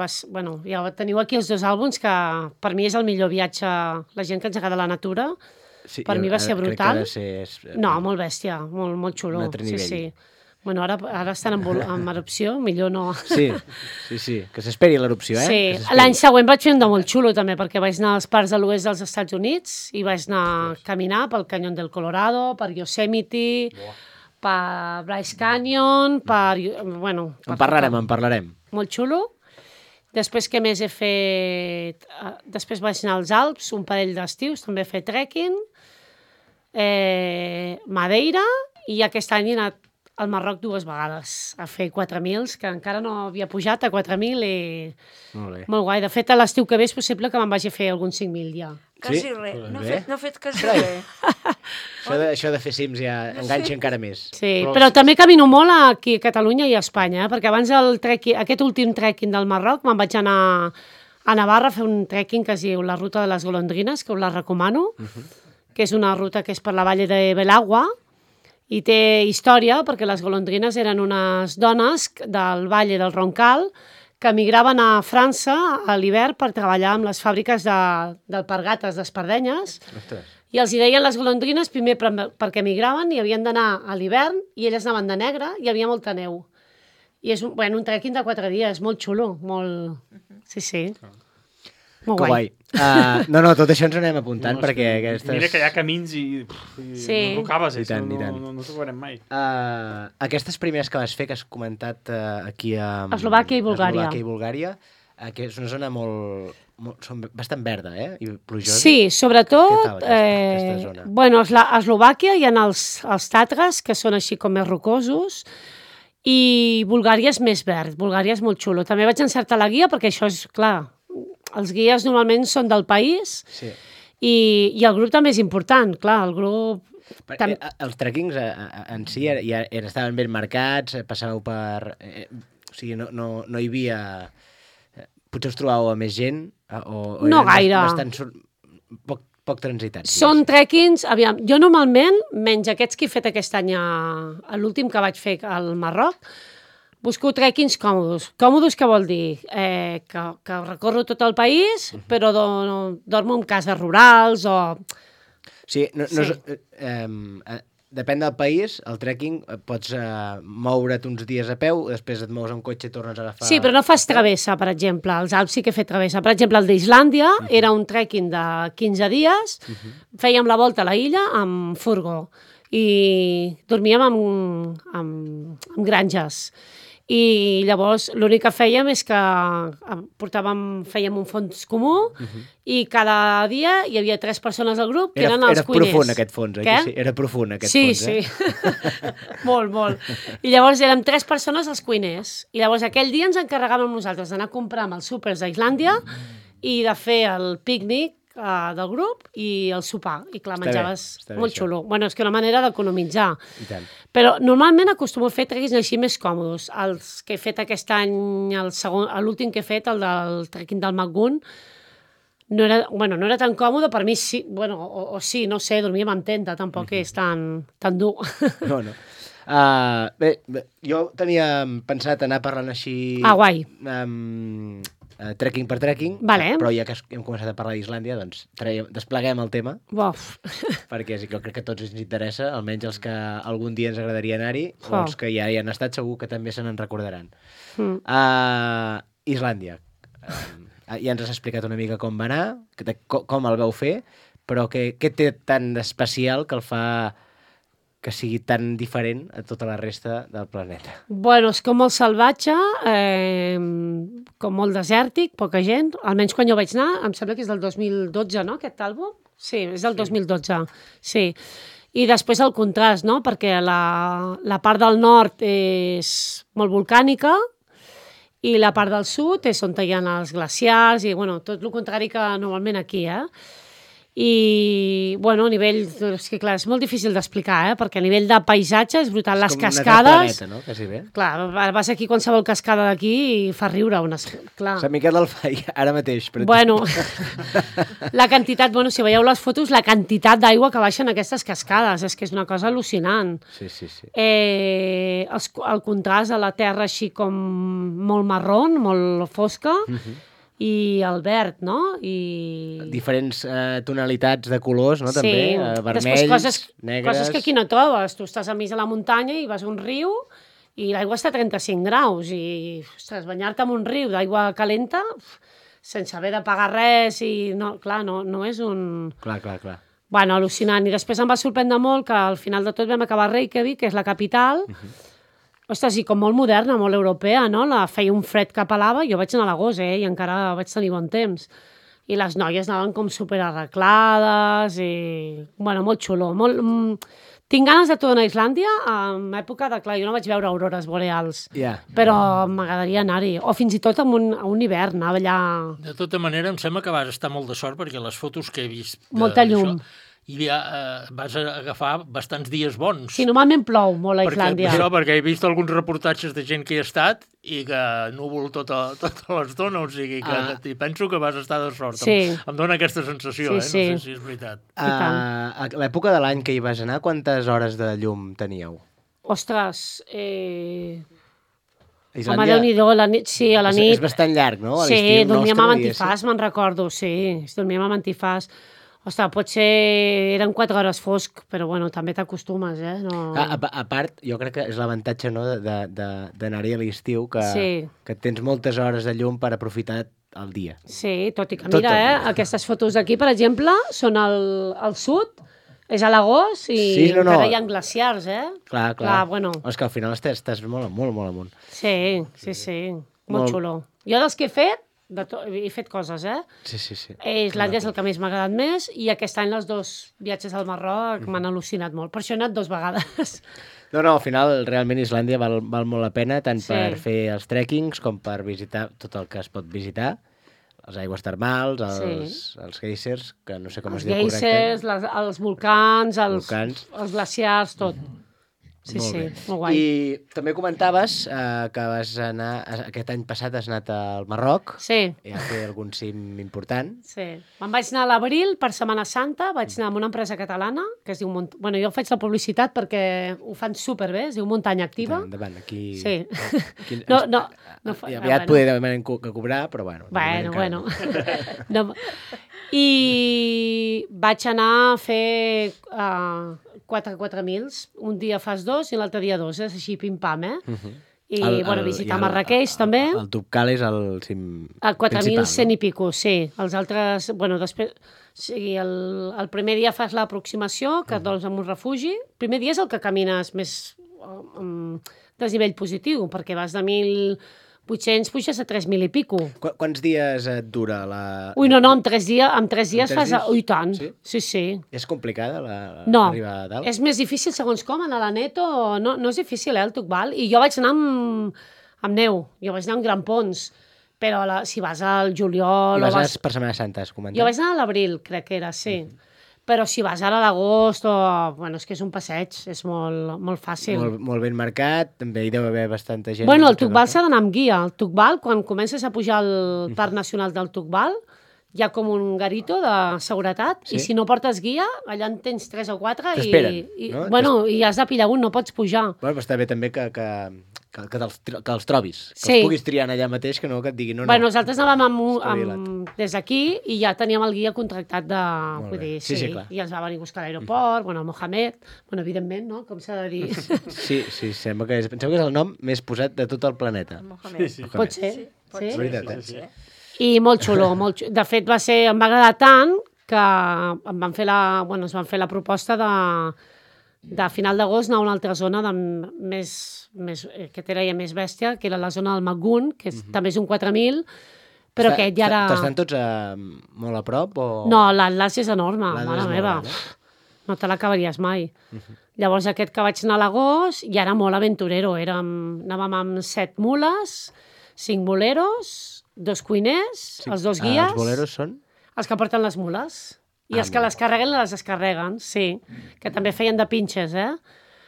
ja teniu aquí els 2 àlbums, que per mi és el millor viatge, la gent que ens agrada la natura, per mi va ser brutal. No, molt bèstia, molt xulo. Un altre nivell. Sí. Bueno, ara estan en erupció, millor no... Sí, que s'esperi l'erupció, Sí, l'any següent vaig fer un de molt xulo també, perquè vaig anar als parcs de l'oest dels Estats Units i vaig anar a caminar pel Canyón del Colorado, per Yosemite, per Bryce Canyon, bueno... En parlarem. Molt xulo. Després, què més he fet? Després vaig anar als Alps, un parell d'estius, també he fet trekking, Madeira, i aquest any he anat al Marroc 2 vegades a fer 4.000, que encara no havia pujat a 4.000 i... Molt guai. De fet, a l'estiu que ve és possible que me'n vagi a fer alguns 5.000 ja. Quasi res. No he fet quasi res. Això de fer cims ja enganxa encara més. Sí, però també camino molt aquí a Catalunya i a Espanya, perquè abans aquest últim trekking del Marroc me'n vaig anar a Navarra a fer un trekking que es diu la Ruta de les Golondrines, que us la recomano, que és una ruta que és per la vall de Belagua, i té història perquè les golondrines eren unes dones del Valle del Roncal que emigraven a França a l'hivern per treballar amb les fàbriques d'alpargates, d'espardenyes, i els hi deien les golondrines primer perquè emigraven i havien d'anar a l'hivern i elles anaven de negre i hi havia molta neu. I és un trekking de 4 dies, molt xulo, molt... Sí. Molt guai. No, tot això ens anem apuntant perquè aquestes... Mira que hi ha camins i no acabes, no t'ho veurem mai. Aquestes primeres que vas fer, que has comentat aquí a Eslovàquia i Bulgària. Que és una zona bastant verda, i plujosa. Sí, sobretot... aquesta zona? Bueno, a Eslovàquia hi ha els Tatres, que són així com més rocosos, i Bulgària és més verd. Bulgària és molt xulo. També vaig encertar la guia perquè això és, clar... Els guies normalment són del país i el grup també és important, clar, el grup... Els trekkings en si ja estaven ben marcats, passàveu per... O sigui, no hi havia... Potser us trobàveu a més gent? No gaire. Bastant poc transitats. Són trekkings, aviam, jo normalment, menys aquests que he fet aquest any a l'últim que vaig fer al Marroc, busco trekkings còmodos. Còmodos què vol dir? Que recorro tot el país, però dormo en cases rurals o... Sí, depèn del país, el trekking pots moure't uns dies a peu, després et mous amb cotxe i tornes a agafar... Sí, però no fas travessa, per exemple. Els Alps sí que he fet travessa. Per exemple, el d'Islàndia era un trekking de 15 dies, fèiem la volta a la illa amb furgó i dormíem amb granges. I llavors l'únic que fèiem és que fèiem un fons comú i cada dia hi havia 3 persones al grup que eren els cuiners. Era profund aquest fons, eh? Sí, era profund aquest fons, eh? Sí. Molt. I llavors érem 3 persones els cuiners. I llavors aquell dia ens encarregàvem nosaltres d'anar a comprar amb els súpers d'Islàndia i de fer el pícnic del grup i el sopar. I clar, menjaves molt xulo. Bueno, és que una manera d'economitzar. I tant. Però normalment acostumo a fer trekkings així més còmodos. Els que he fet aquest any, l'últim que he fet, el del trekking del Magun, no era tan còmode, per mi sí, o sí, no sé, dormíem en tenda, tampoc és tan dur. No. Bé, jo tenia pensat anar parlant així... Guai. Trekking per trekking, vale. Però ja que hem començat a parlar d'Islàndia, doncs despleguem el tema. Perquè jo crec que a tots ens interessa, almenys els que algun dia ens agradaria anar-hi, o els que ja hi han estat segur que també se n'en recordaran. Islàndia. Ja ens has explicat una mica com va anar, com el vau fer, però què té tan especial que el fa que sigui tan diferent a tota la resta del planeta? Bueno, és com molt salvatge, com molt desèrtic, poca gent. Almenys quan jo vaig anar, em sembla que és del 2012, no, aquest àlbum? Sí, és del 2012, sí. I després el contrast, no?, perquè la part del nord és molt volcànica i la part del sud és on hi ha els glaciars i, bueno, tot el contrari que normalment aquí, I, bueno, a nivell... És que, clar, és molt difícil d'explicar, perquè a nivell de paisatge és brutal. Les cascades... És com un altre planeta, no?, quasi bé. Clar, vas aquí qualsevol cascada d'aquí i fa riure. Clar. Sant Miquel del Fai, ara mateix. Bueno, la quantitat... Bueno, si veieu les fotos, la quantitat d'aigua que baixen aquestes cascades, és que és una cosa al·lucinant. Sí. El contrast a la terra així com molt marrón, molt fosca, i el verd, no? I... Diferents tonalitats de colors, no? Sí. També, vermells, negres... Coses que aquí no trobes. Tu estàs a mig de la muntanya i vas a un riu i l'aigua està a 35 graus i, ostres, banyar-te en un riu d'aigua calenta sense haver de pagar res i, no, clar, no és un... Clar. Bueno, al·lucinant. I després em va sorprendre molt que al final de tot vam acabar a Reykjavik, que és la capital, ostres, i com molt moderna, molt europea, no? Feia un fred que pelava, jo vaig anar a l'agost, i encara vaig tenir bon temps. I les noies anaven com superarreglades i... Bueno, molt xulo. Tinc ganes de tornar a Islàndia en època de... Clar, jo no vaig veure aurores boreals, però m'agradaria anar-hi. O fins i tot a un hivern, anar allà... De tota manera, em sembla que vas estar molt de sort perquè les fotos que he vist... Molta llum. I ja vas agafar bastants dies bons. Sí, normalment plou molt a Islàndia. Perquè he vist alguns reportatges de gent que hi ha estat i que núvol tota l'estona, o sigui que penso que vas estar de sort. Sí. Em dona aquesta sensació, no sé si és veritat. A l'època de l'any que hi vas anar, quantes hores de llum teníeu? Ostres, home, Déu-n'hi-do, a la nit... Sí, a la nit... És bastant llarg, no? Sí, dormíem amb antifàs, me'n recordo, sí. Dormíem amb antifàs. Ostres, potser eren 4 hores fosc, però bueno, també t'acostumes, No... A part, jo crec que és l'avantatge, no?, d'anar-hi a l'estiu, que tens moltes hores de llum per aprofitar el dia. Sí, tot i que mira, aquestes fotos d'aquí, per exemple, són al sud, és a l'agost i encara hi ha glaciars, Clar. Bueno. És que al final estàs molt amunt. Sí, molt xulo. Jo dels que he fet coses, Sí. Islàndia és el que més m'ha agradat més i aquest any els 2 viatges al Marroc m'han al·lucinat molt. Per això he anat 2 vegades. No, al final realment Islàndia val molt la pena, tant per fer els trekkings com per visitar tot el que es pot visitar, les aigües termals, els geysers, que no sé com es diu correcte. Els geysers, els volcans, els glaciars, tot. Sí, molt guai. I també comentaves que vas anar, aquest any passat has anat al Marroc. Sí. I a fer algun cim important. Sí. Me'n vaig anar a l'abril, per Setmana Santa, vaig anar amb una empresa catalana, que es diu... Bueno, jo faig la publicitat perquè ho fan superbé, es diu Muntanya Activa. Endavant, aquí... Sí. Aviat podem cobrar, però bueno. Bueno. I vaig anar a fer 4 mils. Un dia fas 2 i l'altre dia 2. És així pim-pam, I, visitar Marrakeix, també. El Toubkal és el cim principal, 4.100 i pico, sí. Els altres, després... Sí, el primer dia fas l'aproximació, que et dones en un refugi. El primer dia és el que camines més desnivell positiu, perquè vas de 1.800 puges a 3.000 i pico. Quants dies et dura la... Ui, no, en 3 dies fas... Ui, tant. Sí. És complicada arribar a dalt? És més difícil segons com, anar a la Neto, no és difícil, el Toubkal. I jo vaig anar amb neu, jo vaig anar amb grampons, però si vas al juliol... I vas anar per Setmana Santa, has comentat? Jo vaig anar a l'abril, crec que era, sí. Però si vas ara a l'agost, és que és un passeig, és molt fàcil. Molt ben marcat, també hi deu haver bastanta gent. Bueno, el Toubkal s'ha d'anar amb guia. El Toubkal, quan comences a pujar al Parc Nacional del Toubkal, hi ha com un garito de seguretat, i si no portes guia, allà en tens 3 o 4 i has de pillar un, no pots pujar. Bueno, però està bé també que els trobis, que els puguis triar allà mateix, que no que et diguin no. Bueno, nosaltres anàvem des d'aquí i ja teníem el guia contractat de... Vull dir, sí, clar. I ens va venir a buscar a l'aeroport, el Mohamed, evidentment, no? Com s'ha de dir. Sí, pensem que és el nom més posat de tot el planeta. Sí. Pot ser. Sí? Veritat, sí. I molt xulo, molt xulo. De fet, em va agradar tant que ens van fer la proposta de final d'agost anar a una altra zona que era ja més bèstia, que era la zona del Magun, que també és un 4.000, però aquest ja era... T'estan tots molt a prop? O... No, l'Atlas és enorme, mare meva. No te l'acabaries mai. Llavors aquest que vaig anar a l'agost ja era molt aventurero. Anàvem amb 7 mules, 5 boleros, 2 cuiners, els 2 guies... Els boleros són? Els que porten les mules. I els que les carreguen, les descarreguen, sí. Que també feien de pinxes,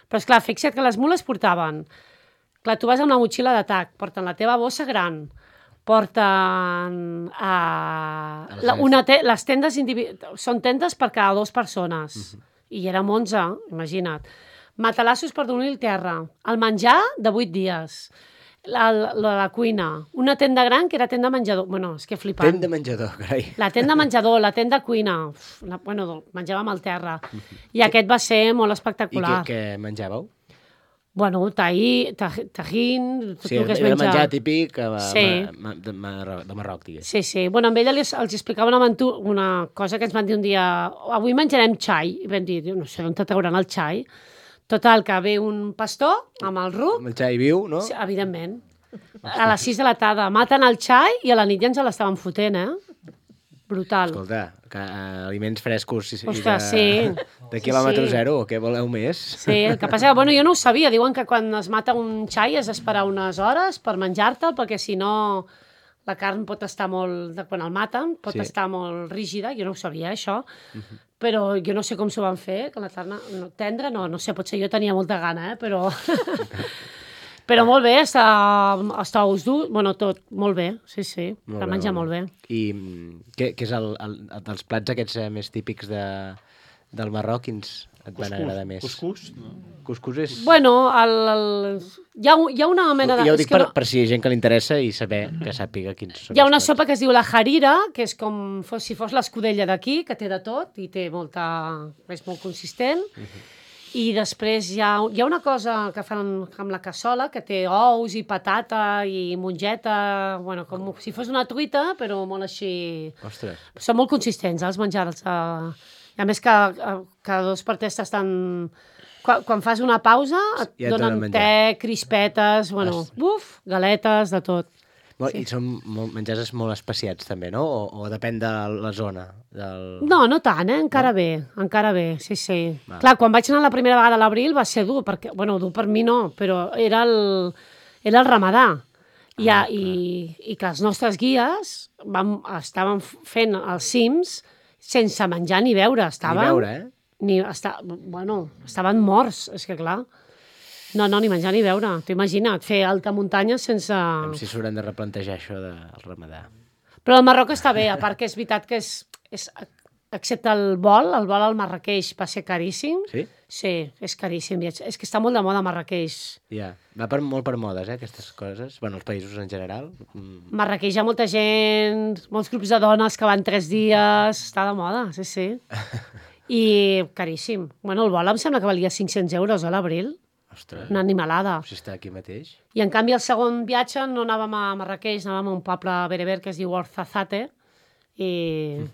Però, esclar, fixa't que les mules portaven... Clar, tu vas amb la motxilla d'atac, porten la teva bossa gran, porten... les tendes són tendes per cada 2 persones. I érem 11, imagina't. Matalassos per dormir al terra. El menjar de 8 dies. La cuina. Una tenda gran que era tenda menjador. Bueno, és que flipant. Tenda menjador, carai. La tenda menjador, la tenda cuina. Menjàvem al terra. I aquest va ser molt espectacular. I què menjàveu? Bueno, tajín, tot el que es menja. Era menjar típic de Marroc, digués. Sí. Bueno, amb ella els explicava una cosa que ens van dir un dia. Avui menjarem xai. I vam dir, no sé, on te trauran el xai? Total, que ve un pastor amb el ruc. Amb el xai viu, no? Sí, evidentment. A les 6 de la tarda. Maten el xai i a la nit ja ens l'estaven fotent, Brutal. Escolta, aliments frescos Ostres, de quilòmetre zero, què voleu més? Sí, el que passa que, jo no ho sabia. Diuen que quan es mata un xai has d'esperar unes hores per menjar-te'l, perquè si no la carn pot estar molt... Quan el maten, pot estar molt rígida. Jo no ho sabia, això. Però jo no sé com s'ho van fer, que la carn tendra, no sé, potser jo tenia molta gana, però... Però molt bé, està ous dur, tot, molt bé, sí, per menjar molt bé. I què és dels plats aquests més típics del Marroc, quins et van agradar més? Cuscús? Cuscús és... Bueno, hi ha una mena de... Jo ho dic per si hi ha gent que li interessa i que sàpiga quins són. Hi ha una sopa que es diu la harira, que és com si fos l'escudella d'aquí, que té de tot i té és molt consistent. I després hi ha una cosa que fan amb la cassola, que té ous i patata i mongeta, com si fos una truita, però molt així... Ostres. Són molt consistents, els menjars. A més que cada 2 per 3 t'estan... Quan fas una pausa et donen te, crispetes, galetes, de tot. I són menjars molt especiats, també, no? O depèn de la zona? No tant, encara bé, sí. Clar, quan vaig anar la primera vegada a l'abril va ser dur, perquè, dur per mi no, però era el ramadà. I que els nostres guies estaven fent els cims sense menjar ni beure. Estaven morts, és que clar... No, ni menjar ni beure. T'ho imagina't, fer alta muntanya sense... Si s'hauran de replantejar això del ramadà. Però el Marroc està bé, a part que és veritat que excepte el vol al Marrakeix va ser caríssim. Sí? Sí, és caríssim. És que està molt de moda Marrakeix. Ja, va molt per modes, aquestes coses. Els països en general. Marrakeix hi ha molta gent, molts grups de dones que van 3 dies. Està de moda, sí. I caríssim. El vol em sembla que valia 500 euros a l'abril. Ostres. Una animalada. Si està aquí mateix. I en canvi el segon viatge no anàvem a Marrakeix, anàvem a un poble bereber que es diu Ouarzazate i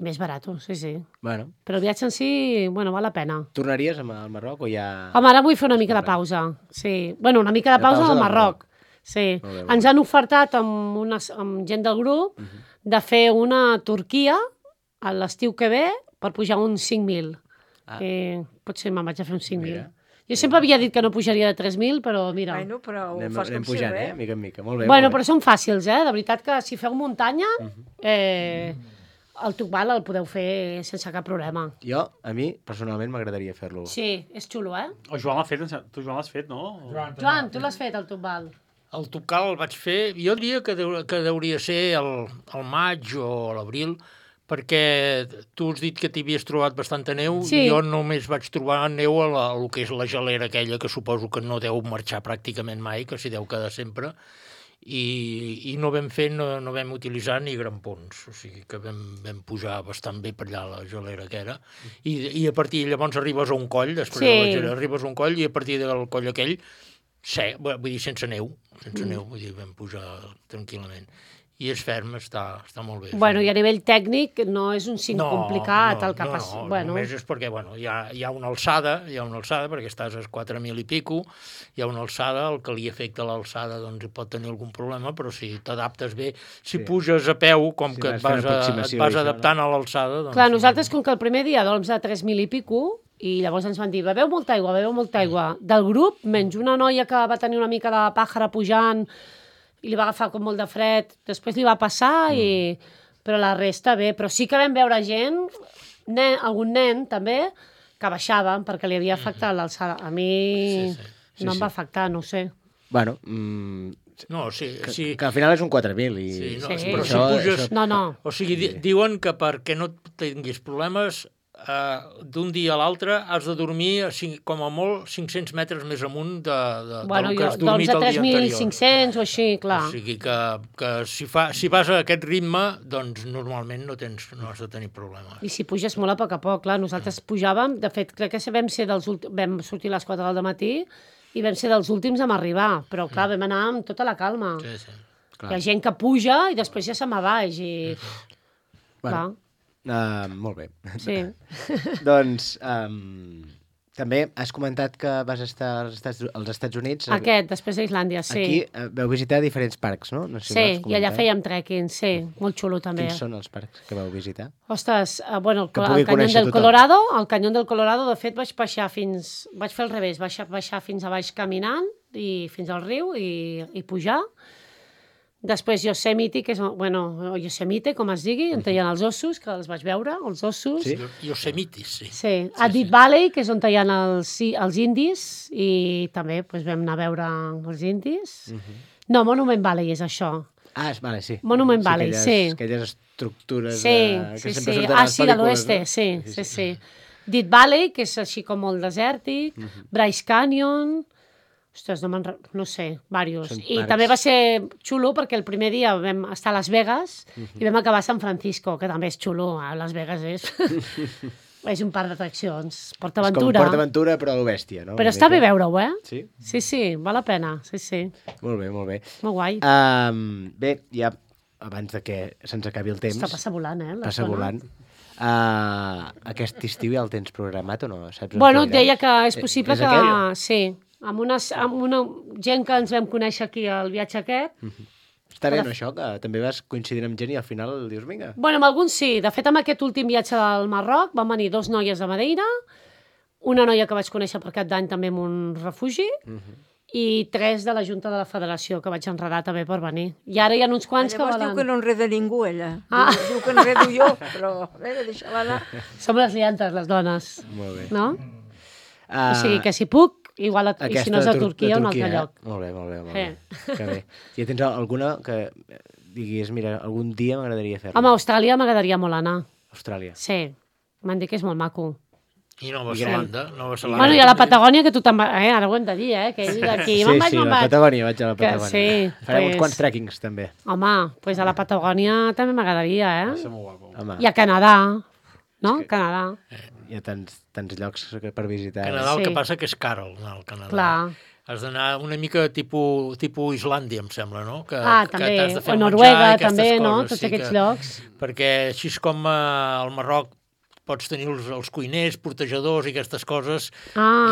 més barat, sí. Bueno. Però el viatge en si, val la pena. Tornaries al Marroc o ja... Home, ara vull fer una mica de pausa, sí. Una mica de pausa al Marroc. Sí. Ens han ofertat amb gent del grup de fer una Turquia a l'estiu que ve per pujar uns 5.000. Potser me'n vaig a fer uns 5.000. Jo sempre havia dit que no pujaria de 3.000, però mira... Però ho fas com pujant, mica en mica. Molt bé. Però són fàcils, De veritat que si feu muntanya, el Tukbal el podeu fer sense cap problema. A mi, personalment, m'agradaria fer-lo. Sí, és xulo, O Joan l'ha fet, tu Joan l'has fet, no? Joan, tu l'has fet, el Tukbal. El Tocal el vaig fer, jo diria que hauria de ser el maig o l'abril, perquè tu has dit que t'hi havies trobat bastanta neu, Sí. Jo només vaig trobar neu a el que és la gelera aquella, que suposo que no deu marxar pràcticament mai, que s'hi deu quedar sempre, i no vam utilitzar ni grampons, o sigui que vam pujar bastant bé per allà la gelera que era, i a partir llavors arribes a un coll, després de la gelera arribes a un coll, i a partir del coll aquell, vull dir, sense neu, vull dir, vam pujar tranquil·lament. I és ferm, està molt bé. Bueno, i a nivell tècnic no és un cim complicat el que passa. Només és perquè hi ha una alçada, perquè estàs a 4.000 i pico, hi ha una alçada, el que li afecta l'alçada doncs pot tenir algun problema, però si t'adaptes bé, si puges a peu, com que et vas adaptant a l'alçada... Clar, nosaltres, com que el primer dia dorms a 3.000 i pico, i llavors ens van dir, beveu molta aigua. Del grup, menys una noia que va tenir una mica de pàjara pujant, i li va agafar com molt de fred, després li va passar, però la resta bé. Però sí que vam veure gent, algun nen també, que baixaven perquè li havia afectat l'alçada. A mi no em va afectar, no ho sé. Bueno, que al final és un 4.000 i... Però si puges... O sigui, diuen que perquè no tinguis problemes, d'un dia a l'altre has de dormir com a molt 500 metres més amunt del que has dormit el dia anterior. 3.500 o així, clar. O sigui que si vas a aquest ritme, doncs normalment no has de tenir problemes. I si puges molt a poc, clar. Nosaltres pujàvem, de fet, crec que vam sortir a les 4 del matí i vam ser dels últims a arribar, però clar, vam anar amb tota la calma. Hi ha gent que puja i després ja se'n va baix i... Clar. Molt bé. Sí. Doncs també has comentat que vas estar als Estats Units. Després d'Islàndia, sí. Aquí vau visitar diferents parcs, no? Sí, i allà fèiem trekking, sí. Molt xulo, també. Quins són els parcs que vau visitar? Ostres, bueno, el Canyón del Colorado. El Canyón del Colorado, de fet, vaig fer al revés, baixar fins a baix caminant, i fins al riu, i pujar. Després Yosemite, Yosemite, com es digui, on hi ha els ossos, que els vaig veure, els ossos. Sí? Yosemite, sí. Sí. A Deep Valley, que és on hi ha els indis, i també vam anar a veure els indis. No, Monument Valley és això. Vale, sí. Monument Valley, sí. Aquelles estructures que sempre surten a les pel·lícules. De l'oeste, sí. Deep Valley, que és així com molt desèrtic, Bryce Canyon... Ostres, no sé, diversos. I també va ser xulo perquè el primer dia vam estar a Las Vegas i vam acabar a San Francisco, que també és xulo. Las Vegas és un parc d'atraccions. PortAventura. És com PortAventura, però a lo bèstia, no? Però està bé veure-ho, Sí? Sí, val la pena, sí. Molt bé. Molt guai. Bé, ja abans de que se'ns acabi el temps... Passa volant, Passa volant. Aquest estiu ja el tens programat o no? Bueno, deia que és possible que... Sí. Amb una gent que ens vam conèixer aquí al viatge aquest. Està bé, no, això? Que també vas coincidint amb gent i al final dius, vinga. Bueno, amb alguns sí. De fet, amb aquest últim viatge del Marroc van venir 2 noies de Madeira, una noia que vaig conèixer per Cap d'Any també en un refugi, i 3 de la Junta de la Federació que vaig enredar també per venir. I ara hi ha uns quants que volen... Llavors diu que no enreda ningú, ella. Diu que enredo jo, però deixa-la anar. Som les liantes, les dones. Molt bé. No? O sigui que si puc, igual, i si no és a Turquia, un altre lloc. Molt bé. Que bé. Si tens alguna que diguis, mira, algun dia m'agradaria fer-la. Home, a Austràlia m'agradaria molt anar. Austràlia? Sí, m'han dit que és molt maco. I Nova Zelanda? Bueno, i a la Patagònia, que tu també... Ara ho hem de dir, que aquí Sí, a la Patagònia, vaig a la Patagònia. Sí, farem uns quants trekkings, també. Home, doncs a la Patagònia també m'agradaria, I a Canadà, no? Canadà. Hi ha tants llocs per visitar. Canadà el que passa que és car anar al Canadà. Clar. Has d'anar una mica tipus Islàndia, em sembla, no? També. O Noruega, també, no? Tots aquests llocs. Perquè així com al Marroc pots tenir els cuiners, portejadors i aquestes coses,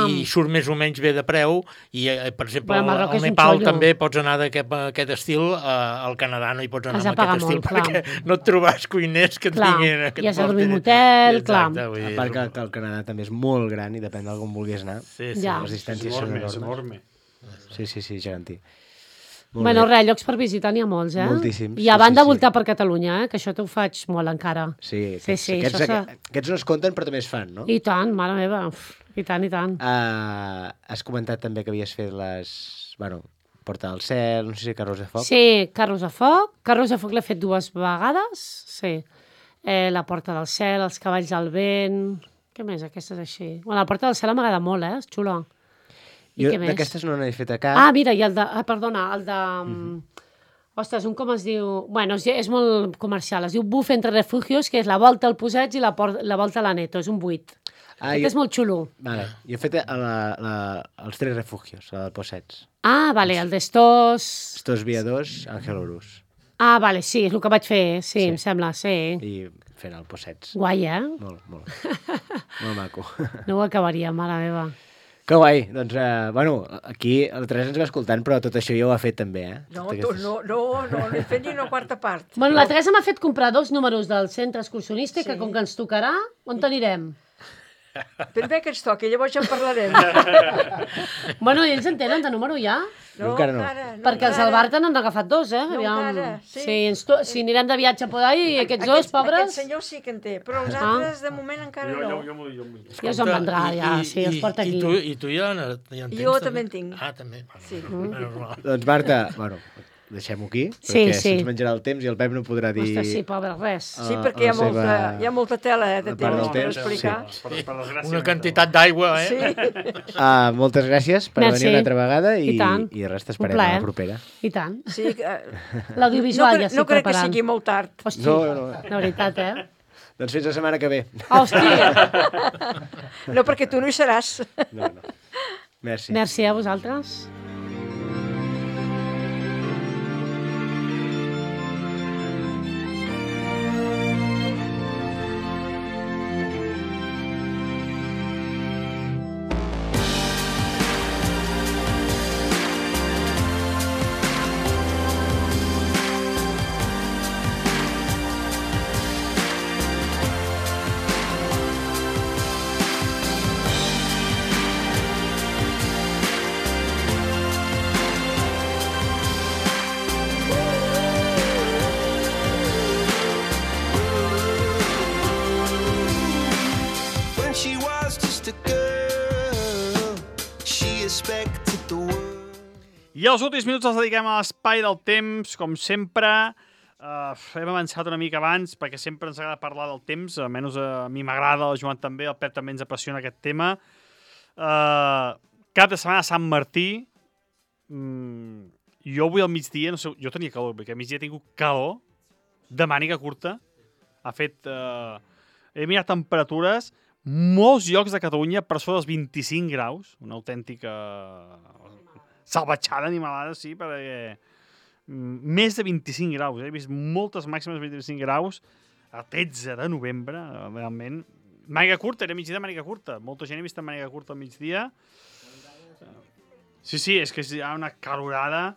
i surt més o menys bé de preu, i, per exemple, al Nepal també pots anar d'aquest estil, al Canadà no hi pots anar amb aquest estil, perquè no et trobaràs cuiners que tinguin... I has de dormir en hotel, clar. A part que el Canadà també és molt gran i depèn d'on vulguis anar. Les distàncies són enormes. Sí, gegantí. Bueno, res, llocs per visitar n'hi ha molts, Moltíssims. I a banda voltar per Catalunya, que això t'ho faig molt encara. Sí. Aquests no es compten, però també es fan, no? I tant, mare meva. I tant. Has comentat també que havies fet Porta del Cel, no sé si Carros de Foc. Sí, Carros de Foc. Carros de Foc l'he fet 2 vegades, sí. La Porta del Cel, els Cavalls del Vent... Què més, aquestes així? Bueno, la Porta del Cel m'agrada molt, és xula. Jo d'aquestes no n'he fet a cap. Ah, mira, i el de... perdona, el de... Ostres, com es diu... Bueno, és molt comercial. Es diu Buf entre refugios, que és la volta al Posets i la volta a l'Aneto. És un 8. Aquest és molt xulo. Vale. Jo he fet els 3 refugios, el Posets. Ah, vale, el d'estos... Estos viadors, Àngel Horus. Ah, vale, sí, és el que vaig fer, sí, em sembla, sí. I fent el Posets. Guai, Molt, molt. Molt maco. No ho acabaria, mare meva. Que guai. Doncs, bueno, aquí el Teresa ens va escoltant, però tot això ja ho ha fet també, No, no he fet ni una quarta part. Bueno, la Teresa m'ha fet comprar 2 números del centre excursionista que com que ens tocarà, on t'anirem? Ben bé que ens toqui, llavors ja en parlarem. Bueno, i ells en tenen de número ja? No, encara no. Perquè els Albarta n'han agafat 2, No, encara, sí. Si anirem de viatge a Podai i aquests 2, pobres... Aquest senyor sí que en té, però els altres de moment encara no. Ja us en vendrà, ja, sí, els porta aquí. I tu ja en tens? Jo també en tinc. Ah, també. Sí. Doncs Marta, bueno, deixem-ho aquí, perquè se'ns menjarà el temps i el Pep no podrà dir... Ostres, sí, pobre, res. Sí, perquè hi ha molta tela de temps per explicar. Una quantitat d'aigua, Sí. Moltes gràcies per venir una altra vegada i res, t'esperem a la propera. I tant. Sí, l'audiovisual ja estic preparant. No crec que sigui molt tard. Hòstia, de veritat, Doncs fins la setmana que ve. Hòstia! No, perquè tu no hi seràs. No. Merci. Merci a vosaltres. I els últims minuts els dediquem a l'espai del temps, com sempre. Hem avançat una mica abans, perquè sempre ens agrada parlar del temps, almenys a mi m'agrada, al Joan també, al Pep també ens apassiona aquest tema. Cap de setmana Sant Martí, jo avui al migdia, no sé, jo tenia calor, perquè al migdia he tingut calor, de màniga curta, he mirat temperatures, molts llocs de Catalunya per sobre dels 25 graus, una autèntica salvatjada animalada, sí, perquè més de 25 graus, he vist moltes màximes de 25 graus a 13 de novembre, realment. Màniga curta, era migdia de màniga curta, molta gent he vist màniga curta al migdia. Sí, és que hi ha una calorada.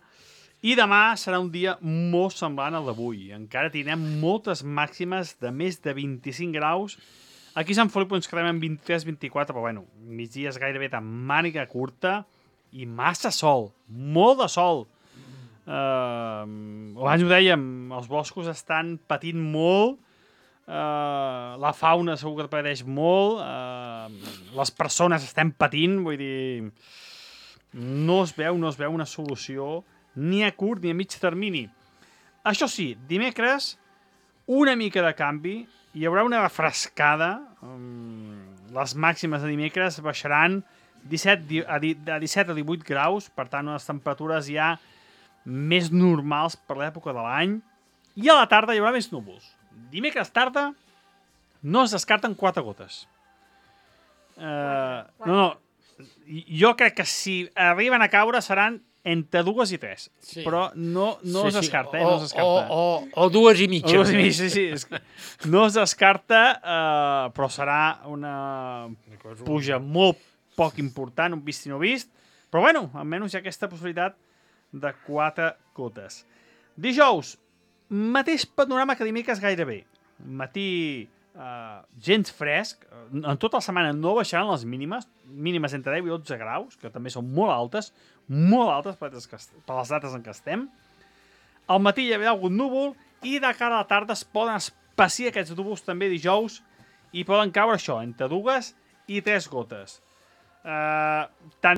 I demà serà un dia molt semblant al d'avui. Encara tindrem moltes màximes de més de 25 graus. Aquí a Sant Feliu ens quedem en 23-24, però bueno, migdia és gairebé de màniga curta i massa sol, molt de sol. Abans ho dèiem, els boscos estan patint molt, la fauna segur que pateix molt, les persones estem patint, vull dir, no es veu una solució ni a curt ni a mig termini. Això sí, dimecres, una mica de canvi, hi haurà una refrescada, les màximes de dimecres baixaran de 17 a 18 graus, per tant, unes temperatures ja més normals per l'època de l'any, i a la tarda hi haurà més núvols. Dimecres tarda no es descarten 4 gotes. Jo crec que si arriben a caure seran entre 2 i 3, però no es descarta. O 2 i mitja. Sí. No es descarta, però serà una puja molt poc important, un vist i no vist, però bueno, almenys hi ha aquesta possibilitat de 4 gotes. Dijous, mateix panorama que dimecres gairebé. Matí gens fresc, en tota la setmana no baixaran les mínimes entre 10 i 12 graus, que també són molt altes per les dates en què estem. Al matí hi haurà algun núvol i de cara a la tarda es poden espaciar aquests núvols també dijous i poden caure això, entre 2 i 3 gotes. Tant